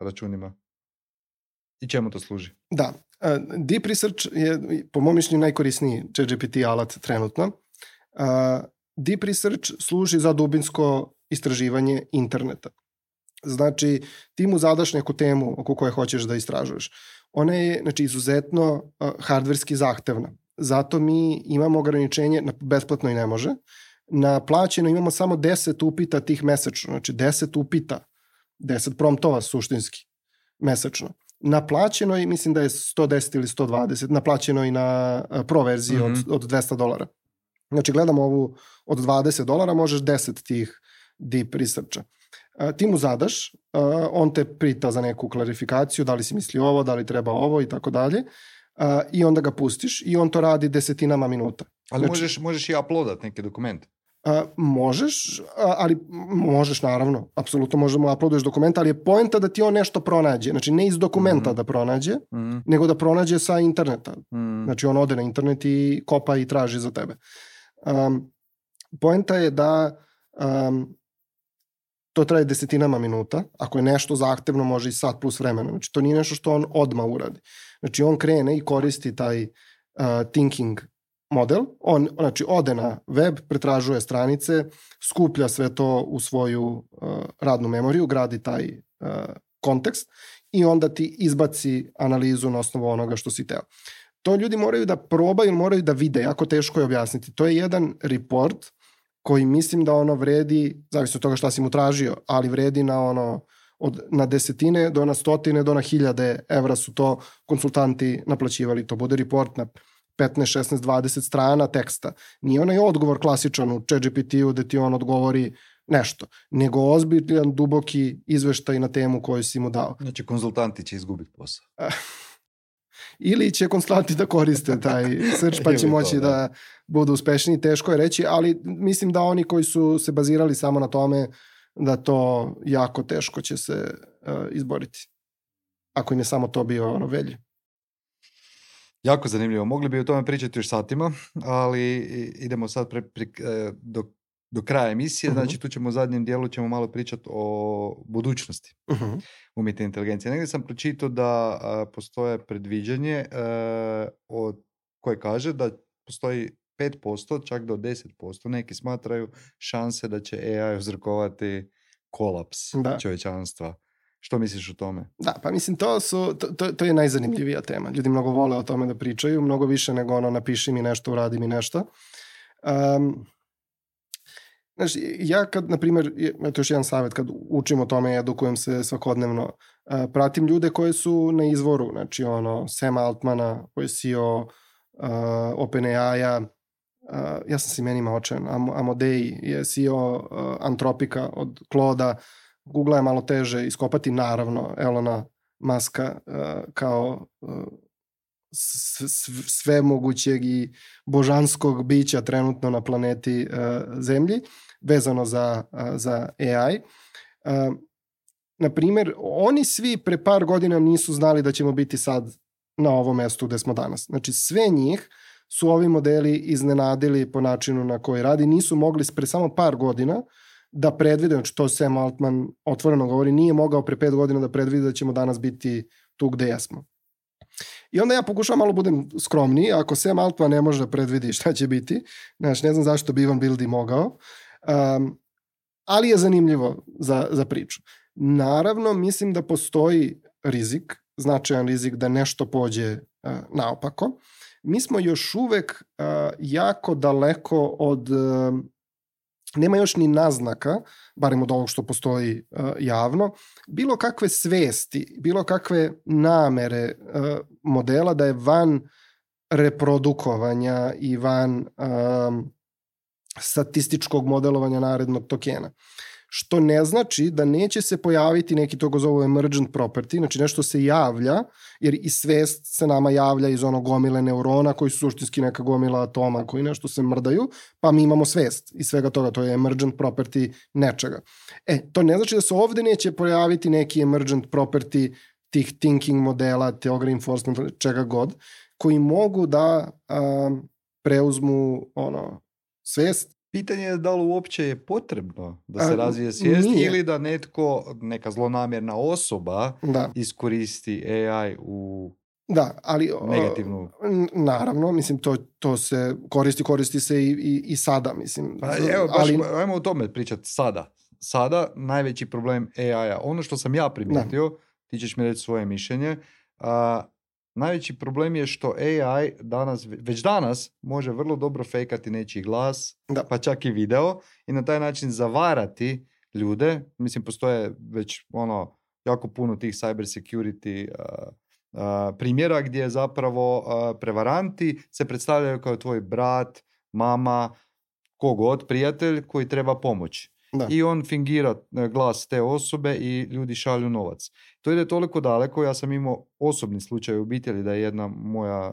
računima? I čemu to služi? Da. Uh, Deep Research je, po mom mišljenju, najkorisniji ChatGPT alat trenutno. Uh, Deep Research služi za dubinsko istraživanje interneta. Znači, ti mu zadaš neku temu oko koje hoćeš da istražuješ. Ona je, znači, izuzetno uh, hardverski zahtevna. Zato mi imamo ograničenje, na besplatno i ne može, na plaćeno imamo samo deset upita tih mesečno, znači deset upita, deset promptova suštinski mesečno. Na plaćenoj, mislim da je sto deset ili sto dvadeset, na plaćenoj na uh, pro verziji mm-hmm. od, od dvesta dolara. Znači, gledamo ovu od dvadeset dolara, možeš deset tih deep researcha. Uh, ti mu zadaš, uh, on te pita za neku klarifikaciju, da li si misli ovo, da li treba ovo i tako dalje, uh, i onda ga pustiš i on to radi desetinama minuta. Ali znači, možeš, možeš i uploadat neke dokumente? Uh, možeš, uh, ali možeš naravno, apsolutno možemo uploaduješ dokument, ali je poenta da ti on nešto pronađe, znači ne iz dokumenta mm-hmm. da pronađe, mm-hmm. nego da pronađe sa interneta. Mm-hmm. Znači on ode na internet i kopa i traži za tebe. Um, poenta je da um, to traje desetinama minuta, ako je nešto zahtevno može i sat plus vremena, znači to nije nešto što on odmah uradi. Znači on krene i koristi taj uh, thinking model, on znači ode na web, pretražuje stranice, skuplja sve to u svoju uh, radnu memoriju, gradi taj uh, kontekst i onda ti izbaci analizu na osnovu onoga što si teo. To ljudi moraju da probaju, moraju da vide, jako teško je objasniti. To je jedan report koji mislim da ono vredi, zavisno od toga šta si mu tražio, ali vredi na ono od, na desetine do na stotine do na hiljade evra su to konsultanti naplaćivali. To bude report na petnaest, šesnaest, dvadeset strana teksta. Nije onaj odgovor klasičan u ChatGPT-u gde ti on odgovori nešto, nego ozbiljan, duboki izveštaj na temu koju si mu dao. Znači konzultanti će izgubiti posao. Ili će konsultanti da koriste taj search pa će moći to, da. da budu uspešni, teško je reći, ali mislim da oni koji su se bazirali samo na tome da to jako teško će se uh, izboriti. Ako im je samo to bio ono velje. Jako zanimljivo. Mogli bi o tome pričati još satima, ali idemo sad pre, pre, do, do kraja emisije. Uh-huh. Znači tu ćemo u zadnjem dijelu ćemo malo pričati o budućnosti uh-huh. umjetne inteligencije. Negdje sam pročitao da a, postoje predviđanje a, od, koje kaže da postoji pet posto, čak do deset posto. Neki smatraju šanse da će A I uzrokovati kolaps da. čovječanstva. Što misliš o tome? Da, pa mislim, to, su, to, to, to je najzanimljivija tema. Ljudi mnogo vole o tome da pričaju, mnogo više nego ono napiši mi nešto, uradi mi nešto. Um, Znači, ja kad, na primjer, to je još jedan savjet, kad učim o tome, edukujem se svakodnevno, pratim ljude koje su na izvoru, znači ono, Sam Altmana, koji je C E O uh, OpenAI-a, uh, ja sam s imenima očajan, Am Amodei je C E O uh, Antropika od Claude-a, Google je malo teže iskopati, naravno, Elona Muska uh, kao uh, sve mogućeg i božanskog bića trenutno na planeti uh, Zemlji, vezano za, uh, za A I. Uh, na primjer, oni svi pre par godina nisu znali da ćemo biti sad na ovom mestu gde smo danas. Znači, sve njih su ovi modeli iznenadili po načinu na koji radi. Nisu mogli pre samo par godina da predvide, znači to Sam Altman otvoreno govori, nije mogao pre pet godina da predvide da ćemo danas biti tu gde jesmo. I onda ja pokušavam malo budem skromniji, ako Sam Altman ne može da predvidi šta će biti, znači ne znam zašto bi Ivan Bildi mogao, um, ali je zanimljivo za, za priču. Naravno, mislim da postoji rizik, značajan rizik da nešto pođe uh, naopako. Mi smo još uvek uh, jako daleko od... Uh, nema još ni naznaka, barem od ovog što postoji uh, javno, bilo kakve svesti, bilo kakve namere uh, modela da je van reprodukovanja i van um, statističkog modelovanja narednog tokena. Što ne znači da neće se pojaviti neki to go zovu emergent property, znači nešto se javlja, jer i svest se nama javlja iz onog gomile neurona koji su suštinski neka gomila atoma koji nešto se mrdaju, pa mi imamo svest iz svega toga, to je emergent property nečega. E, to ne znači da se ovde neće pojaviti neki emergent property tih thinking modela, theory enforcement, čega god, koji mogu da um, preuzmu ono, svest. Pitanje je da li uopće je potrebno da se A, razvije svijest nije. Ili da netko, neka zlonamjerna osoba da. iskoristi A I u da, ali, negativnu... Naravno, mislim, to, to se koristi, koristi se i, i, i sada, mislim. Pa, evo, baš, ali... ajmo o tome pričati sada. Sada najveći problem A I-a, ono što sam ja primijetio, da. ti ćeš mi reći svoje mišljenje, a, najveći problem je što A I danas, već danas može vrlo dobro fejkati nečiji glas, da. pa čak i video i na taj način zavarati ljude. Mislim, postoje već ono jako puno tih cyber security uh, uh, primjera gdje zapravo uh, prevaranti se predstavljaju kao tvoj brat, mama, kogod, prijatelj koji treba pomoć. Da. I on fingira glas te osobe i ljudi šalju novac. To ide toliko daleko, ja sam imao osobni slučaj u obitelji da je jedna moja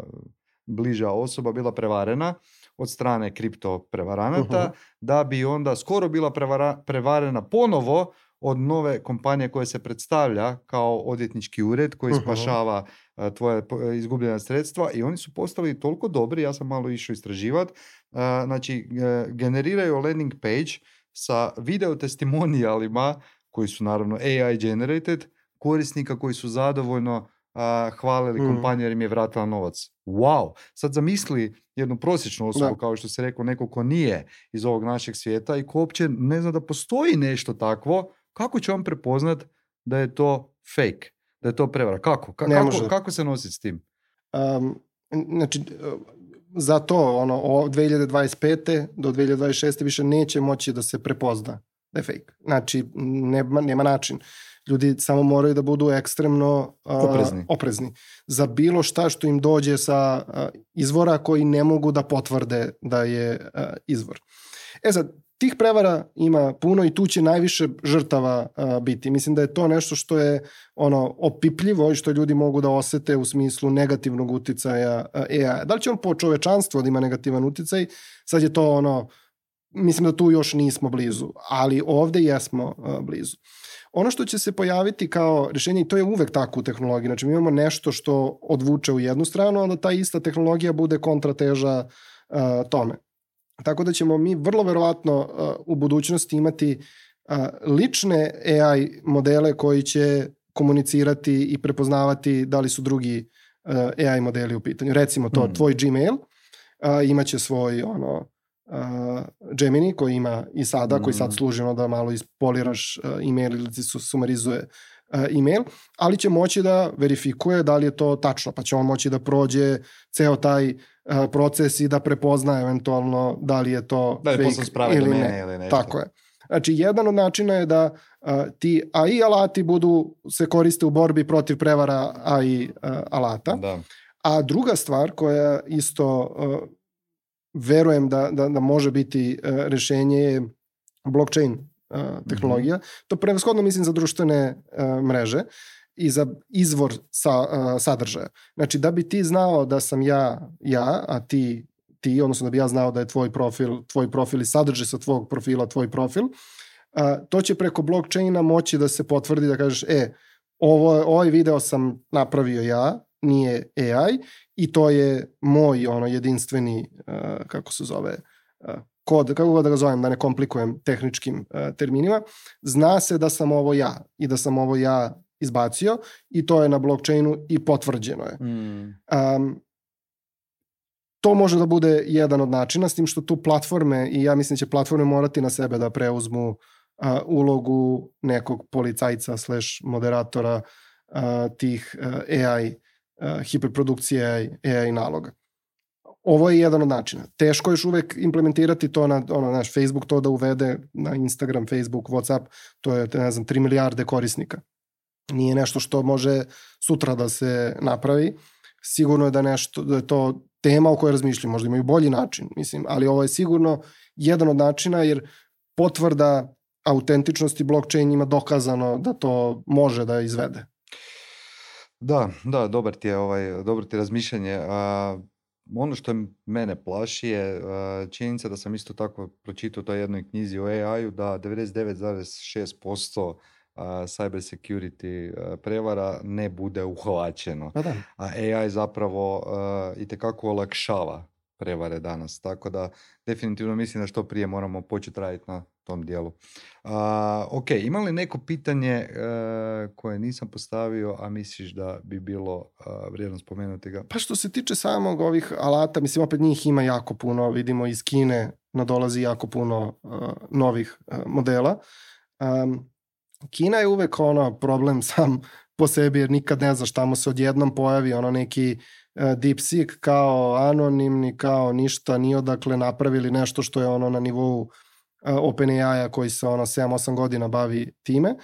bliža osoba bila prevarena od strane kripto prevaranata, uh-huh. da bi onda skoro bila prevara, prevarena ponovo od nove kompanije koja se predstavlja kao odvjetnički ured koji uh-huh. spašava uh, tvoje izgubljena sredstva i oni su postali toliko dobri, ja sam malo išao istraživati, uh, znači uh, generiraju landing page sa video testimonijalima koji su naravno A I generated, korisnika koji su zadovoljno uh, hvalili mm. kompaniju jer im je vratila novac. Wow! Sad zamisli jednu prosječnu osobu, da. kao što se rekao, neko ko nije iz ovog našeg svijeta i ko uopće ne zna da postoji nešto takvo, kako će on prepoznat da je to fake, da je to prevara? Kako? Ka- kako, kako se nositi s tim? Um, znači... Zato ono, od dve hiljade dvadeset pete do dve hiljade dvadeset šeste više neće moći da se prepozna da je fake. Znači, nema, nema način. Ljudi samo moraju da budu ekstremno uh, oprezni. oprezni za bilo šta što im dođe sa uh, izvora koji ne mogu da potvrde da je uh, izvor. E sad, tih prevara ima puno i tu će najviše žrtava uh, biti. Mislim da je to nešto što je ono opipljivo i što ljudi mogu da osete u smislu negativnog uticaja uh, A I. Da li će on po čovečanstvu da ima negativan uticaj? Sad je to ono, mislim da tu još nismo blizu, ali ovde jesmo uh, blizu. Ono što će se pojaviti kao rješenje, i to je uvek tako u tehnologiji, znači mi imamo nešto što odvuče u jednu stranu, onda ta ista tehnologija bude kontrateža uh, tome. Tako da ćemo mi vrlo verovatno uh, u budućnosti imati uh, lične A I modele koji će komunicirati i prepoznavati da li su drugi uh, A I modeli u pitanju. Recimo to, mm. tvoj Gmail uh, imaće svoj ono, uh, Gemini koji ima i sada, mm. koji sad služi ono da malo ispoliraš uh, email ili ti su sumarizuje e-mail, ali će moći da verifikuje da li je to tačno, pa će on moći da prođe ceo taj proces i da prepozna eventualno da li je to da li fake ili ne. Ili nešto. Tako je. Znači, jedan od načina je da uh, ti A I alati budu, se koriste u borbi protiv prevara A I uh, alata. Da. A druga stvar koja isto uh, verujem da, da, da može biti uh, rešenje je blockchain uh, tehnologija. Mm-hmm. To prevashodno mislim za društvene uh, mreže i za izvor sa, uh, sadržaja. Znači, da bi ti znao da sam ja, ja, a ti ti, odnosno da bi ja znao da je tvoj profil, tvoj profil i sadržaj sa tvog profila tvoj profil, a, to će preko blockchaina moći da se potvrdi da kažeš, e, ovo, ovaj video sam napravio ja, nije A I i to je moj ono jedinstveni, a, kako se zove, a, kod, kako god da ga zovem, da ne komplikujem tehničkim a, terminima, zna se da sam ovo ja i da sam ovo ja izbacio i to je na blockchainu i potvrđeno je. Mm. Um, To može da bude jedan od načina, s tim što tu platforme, i ja mislim da će platforme morati na sebe da preuzmu uh, ulogu nekog policajca slash moderatora uh, tih uh, A I, uh, hiperprodukcije A I, A I naloga. Ovo je jedan od načina. Teško je još uvek implementirati to na ono, naš Facebook, to da uvede na Instagram, Facebook, WhatsApp, to je, ne znam, tri milijarde korisnika. Nije nešto što može sutra da se napravi. Sigurno je da, nešto, da je to tema o kojoj razmišljam, možda imaju bolji način, mislim, ali ovo je sigurno jedan od načina, jer potvrda autentičnosti blockchain ima dokazano da to može da izvede. Da, da, dobar ti je, ovaj, dobro ti je razmišljanje. A, ono što mene plaši je a, činjenica da sam isto tako pročitao u toj jednoj knjizi o A I-u da devedeset devet zarez šest posto Uh, cyber security uh, prevara ne bude uhvaćeno. Pa da. A A I zapravo uh, itekako olakšava prevare danas. Tako da definitivno mislim da što prije moramo početi raditi na tom dijelu. Uh, ok, ima li neko pitanje uh, koje nisam postavio, a misliš da bi bilo uh, vrijedno spomenuti ga? Pa što se tiče samog ovih alata, mislim opet njih ima jako puno, vidimo iz Kine nadolazi jako puno uh, novih uh, modela. Um, Kina je uvek ono problem sam po sebi, jer nikad ne znaš, tamo se odjednom pojavi ono neki uh, DeepSeek kao anonimni, kao ništa, ni odakle napravili nešto što je ono na nivou uh, OpenAI-a koji se ono sedam osam godina bavi time,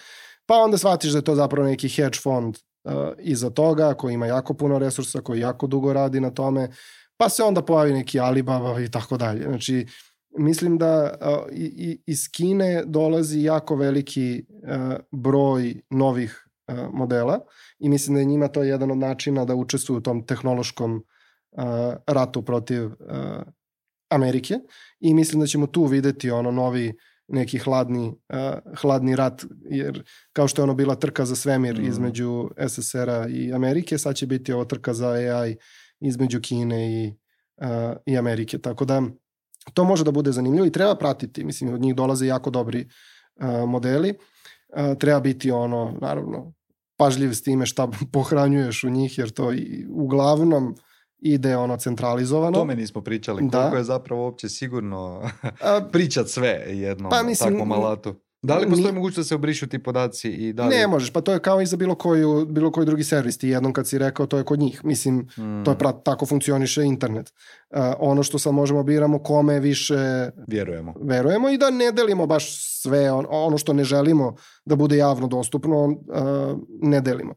pa onda shvatiš da je to zapravo neki hedge fond uh, iza toga, koji ima jako puno resursa, koji jako dugo radi na tome, pa se onda pojavi neki Alibaba i tako dalje. Znači, mislim da uh, i, iz Kine dolazi jako veliki uh, broj novih uh, modela i mislim da je njima to jedan od načina da učestvuju u tom tehnološkom uh, ratu protiv uh, Amerike i mislim da ćemo tu videti ono novi neki hladni, uh, hladni rat, jer kao što je ono bila trka za svemir mm. između S S R-a i Amerike, sad će biti ovo trka za A I između Kine i, uh, i Amerike, tako da to može da bude zanimljivo i treba pratiti. Mislim, od njih dolaze jako dobri uh, modeli. Uh, treba biti ono, naravno, pažljiv s time šta pohranjuješ u njih, jer to i, uglavnom ide ono centralizovano. O tome nismo pričali. Koliko da. je zapravo uopće sigurno pričat sve jednom pa, mislim, takvom alatu? Da li postoji mogućnost da se obrišu ti podaci? I da li... Ne možeš, pa to je kao i za bilo, koju, bilo koji drugi servis. Ti jednom kad si rekao, to je kod njih. Mislim, mm. to je pra, tako funkcioniše internet. Uh, ono što sad možemo biramo kome više vjerujemo. verujemo i da ne delimo baš sve, on, ono što ne želimo da bude javno dostupno, uh, ne delimo.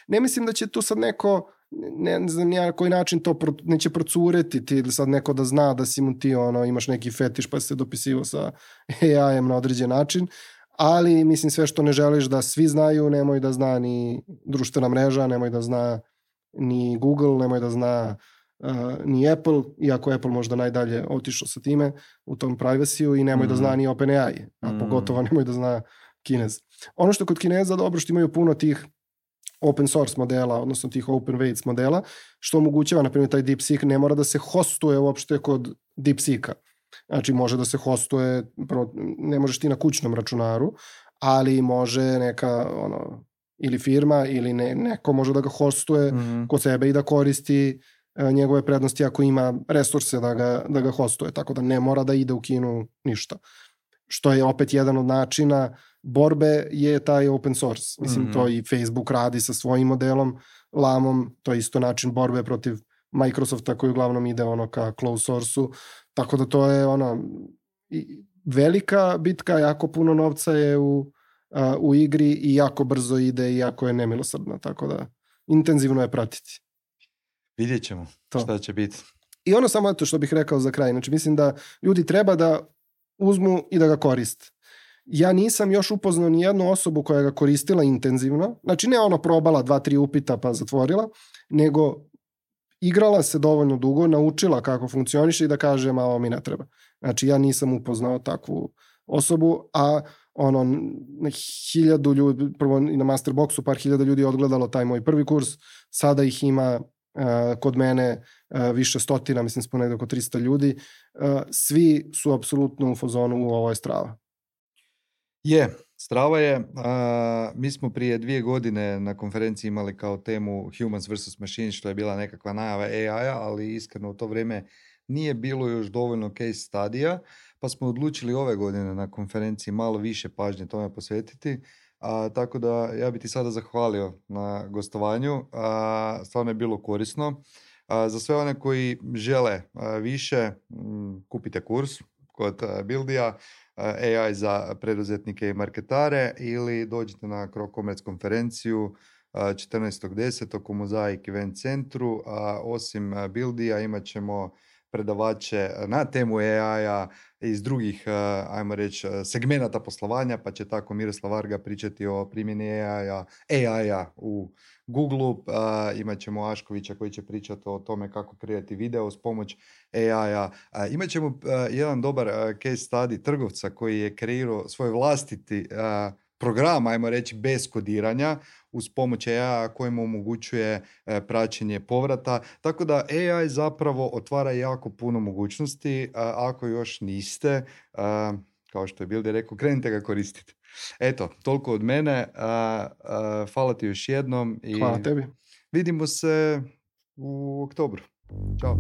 Ne mislim da će tu sad neko, ne, ne znam ja na koji način to pro, neće procureti ti ili sad neko da zna da si mu ti ono, imaš neki fetiš pa si se dopisivo sa A I-em na određen način, ali mislim sve što ne želiš da svi znaju, nemoj da zna ni društvena mreža, nemoj da zna ni Google, nemoj da zna uh, ni Apple, iako Apple možda najdalje otišao sa time u tom privacy-u i nemoj mm. da zna ni OpenAI, a mm. pogotovo nemoj da zna Kinez. Ono što kod Kineza dobro što imaju puno tih open source modela, odnosno tih open weights modela, što omogućava, na primjer, taj DeepSeek ne mora da se hostuje uopšte kod DeepSeeka. Znači, može da se hostuje, ne možeš ti na kućnom računaru, ali može neka, ono, ili firma, ili ne, neko može da ga hostuje mm-hmm. kod sebe i da koristi uh, njegove prednosti ako ima resurse da ga, da ga hostuje, tako da ne mora da ide u Kinu ništa. Što je opet jedan od načina borbe je taj open source. Mislim, Mhm. to i Facebook radi sa svojim modelom, lamom, to je isto način borbe protiv Microsofta koji uglavnom ide ono ka closed source-u, tako da to je ono i velika bitka, jako puno novca je u, a, u igri i jako brzo ide i jako je nemilosrdna, tako da intenzivno je pratiti. Vidjet ćemo To. šta će biti. I ono samo to što bih rekao za kraj, znači mislim da ljudi treba da uzmu i da ga koriste. Ja nisam još upoznao ni jednu osobu koja ga koristila intenzivno, znači ne ono probala dva, tri upita pa zatvorila, nego igrala se dovoljno dugo, naučila kako funkcioniše i da kaže, ma ovo mi ne treba. Znači ja nisam upoznao takvu osobu, a ono, na hiljadu ljudi, prvo i na Masterboxu par hiljada ljudi je odgledalo taj moj prvi kurs, sada ih ima uh, kod mene uh, više stotina, mislim smo negdje oko tristo ljudi, uh, svi su apsolutno u fazonu u ovo je strava. Je, strava je. Uh, mi smo prije dvije godine na konferenciji imali kao temu Humans versus Machines, što je bila nekakva najava A I-a, ali iskreno u to vrijeme nije bilo još dovoljno case studija, pa smo odlučili ove godine na konferenciji malo više pažnje tome posvetiti. A, tako da ja bih ti sada zahvalio na gostovanju. A, stvarno je bilo korisno. A, za sve one koji žele a, više, m, kupite kurs kod a, Buildija, A I za preduzetnike i marketare, ili dođite na CroCommerce konferenciju četrnaestog desetog u Mozaik Event centru. A osim Buildija imat ćemo predavače na temu A I-a iz drugih, ajmo reći, segmenata poslovanja, pa će tako Miroslav Varga pričati o primjeni A I-a, A I-a u Google-u, uh, imat ćemo Aškovića koji će pričati o tome kako kreirati video s pomoć A I-a. Uh, imat ćemo uh, jedan dobar uh, case study trgovca koji je kreirao svoj vlastiti uh, program, ajmo reći, bez kodiranja, uz pomoć A I-a koji mu omogućuje uh, praćenje povrata. Tako da A I zapravo otvara jako puno mogućnosti. Uh, ako još niste, uh, kao što je Bildi rekao, krenite ga koristiti. Eto, toliko od mene. Uh, uh, hvala ti još jednom. I hvala tebi. Vidimo se u oktobru. Ćao.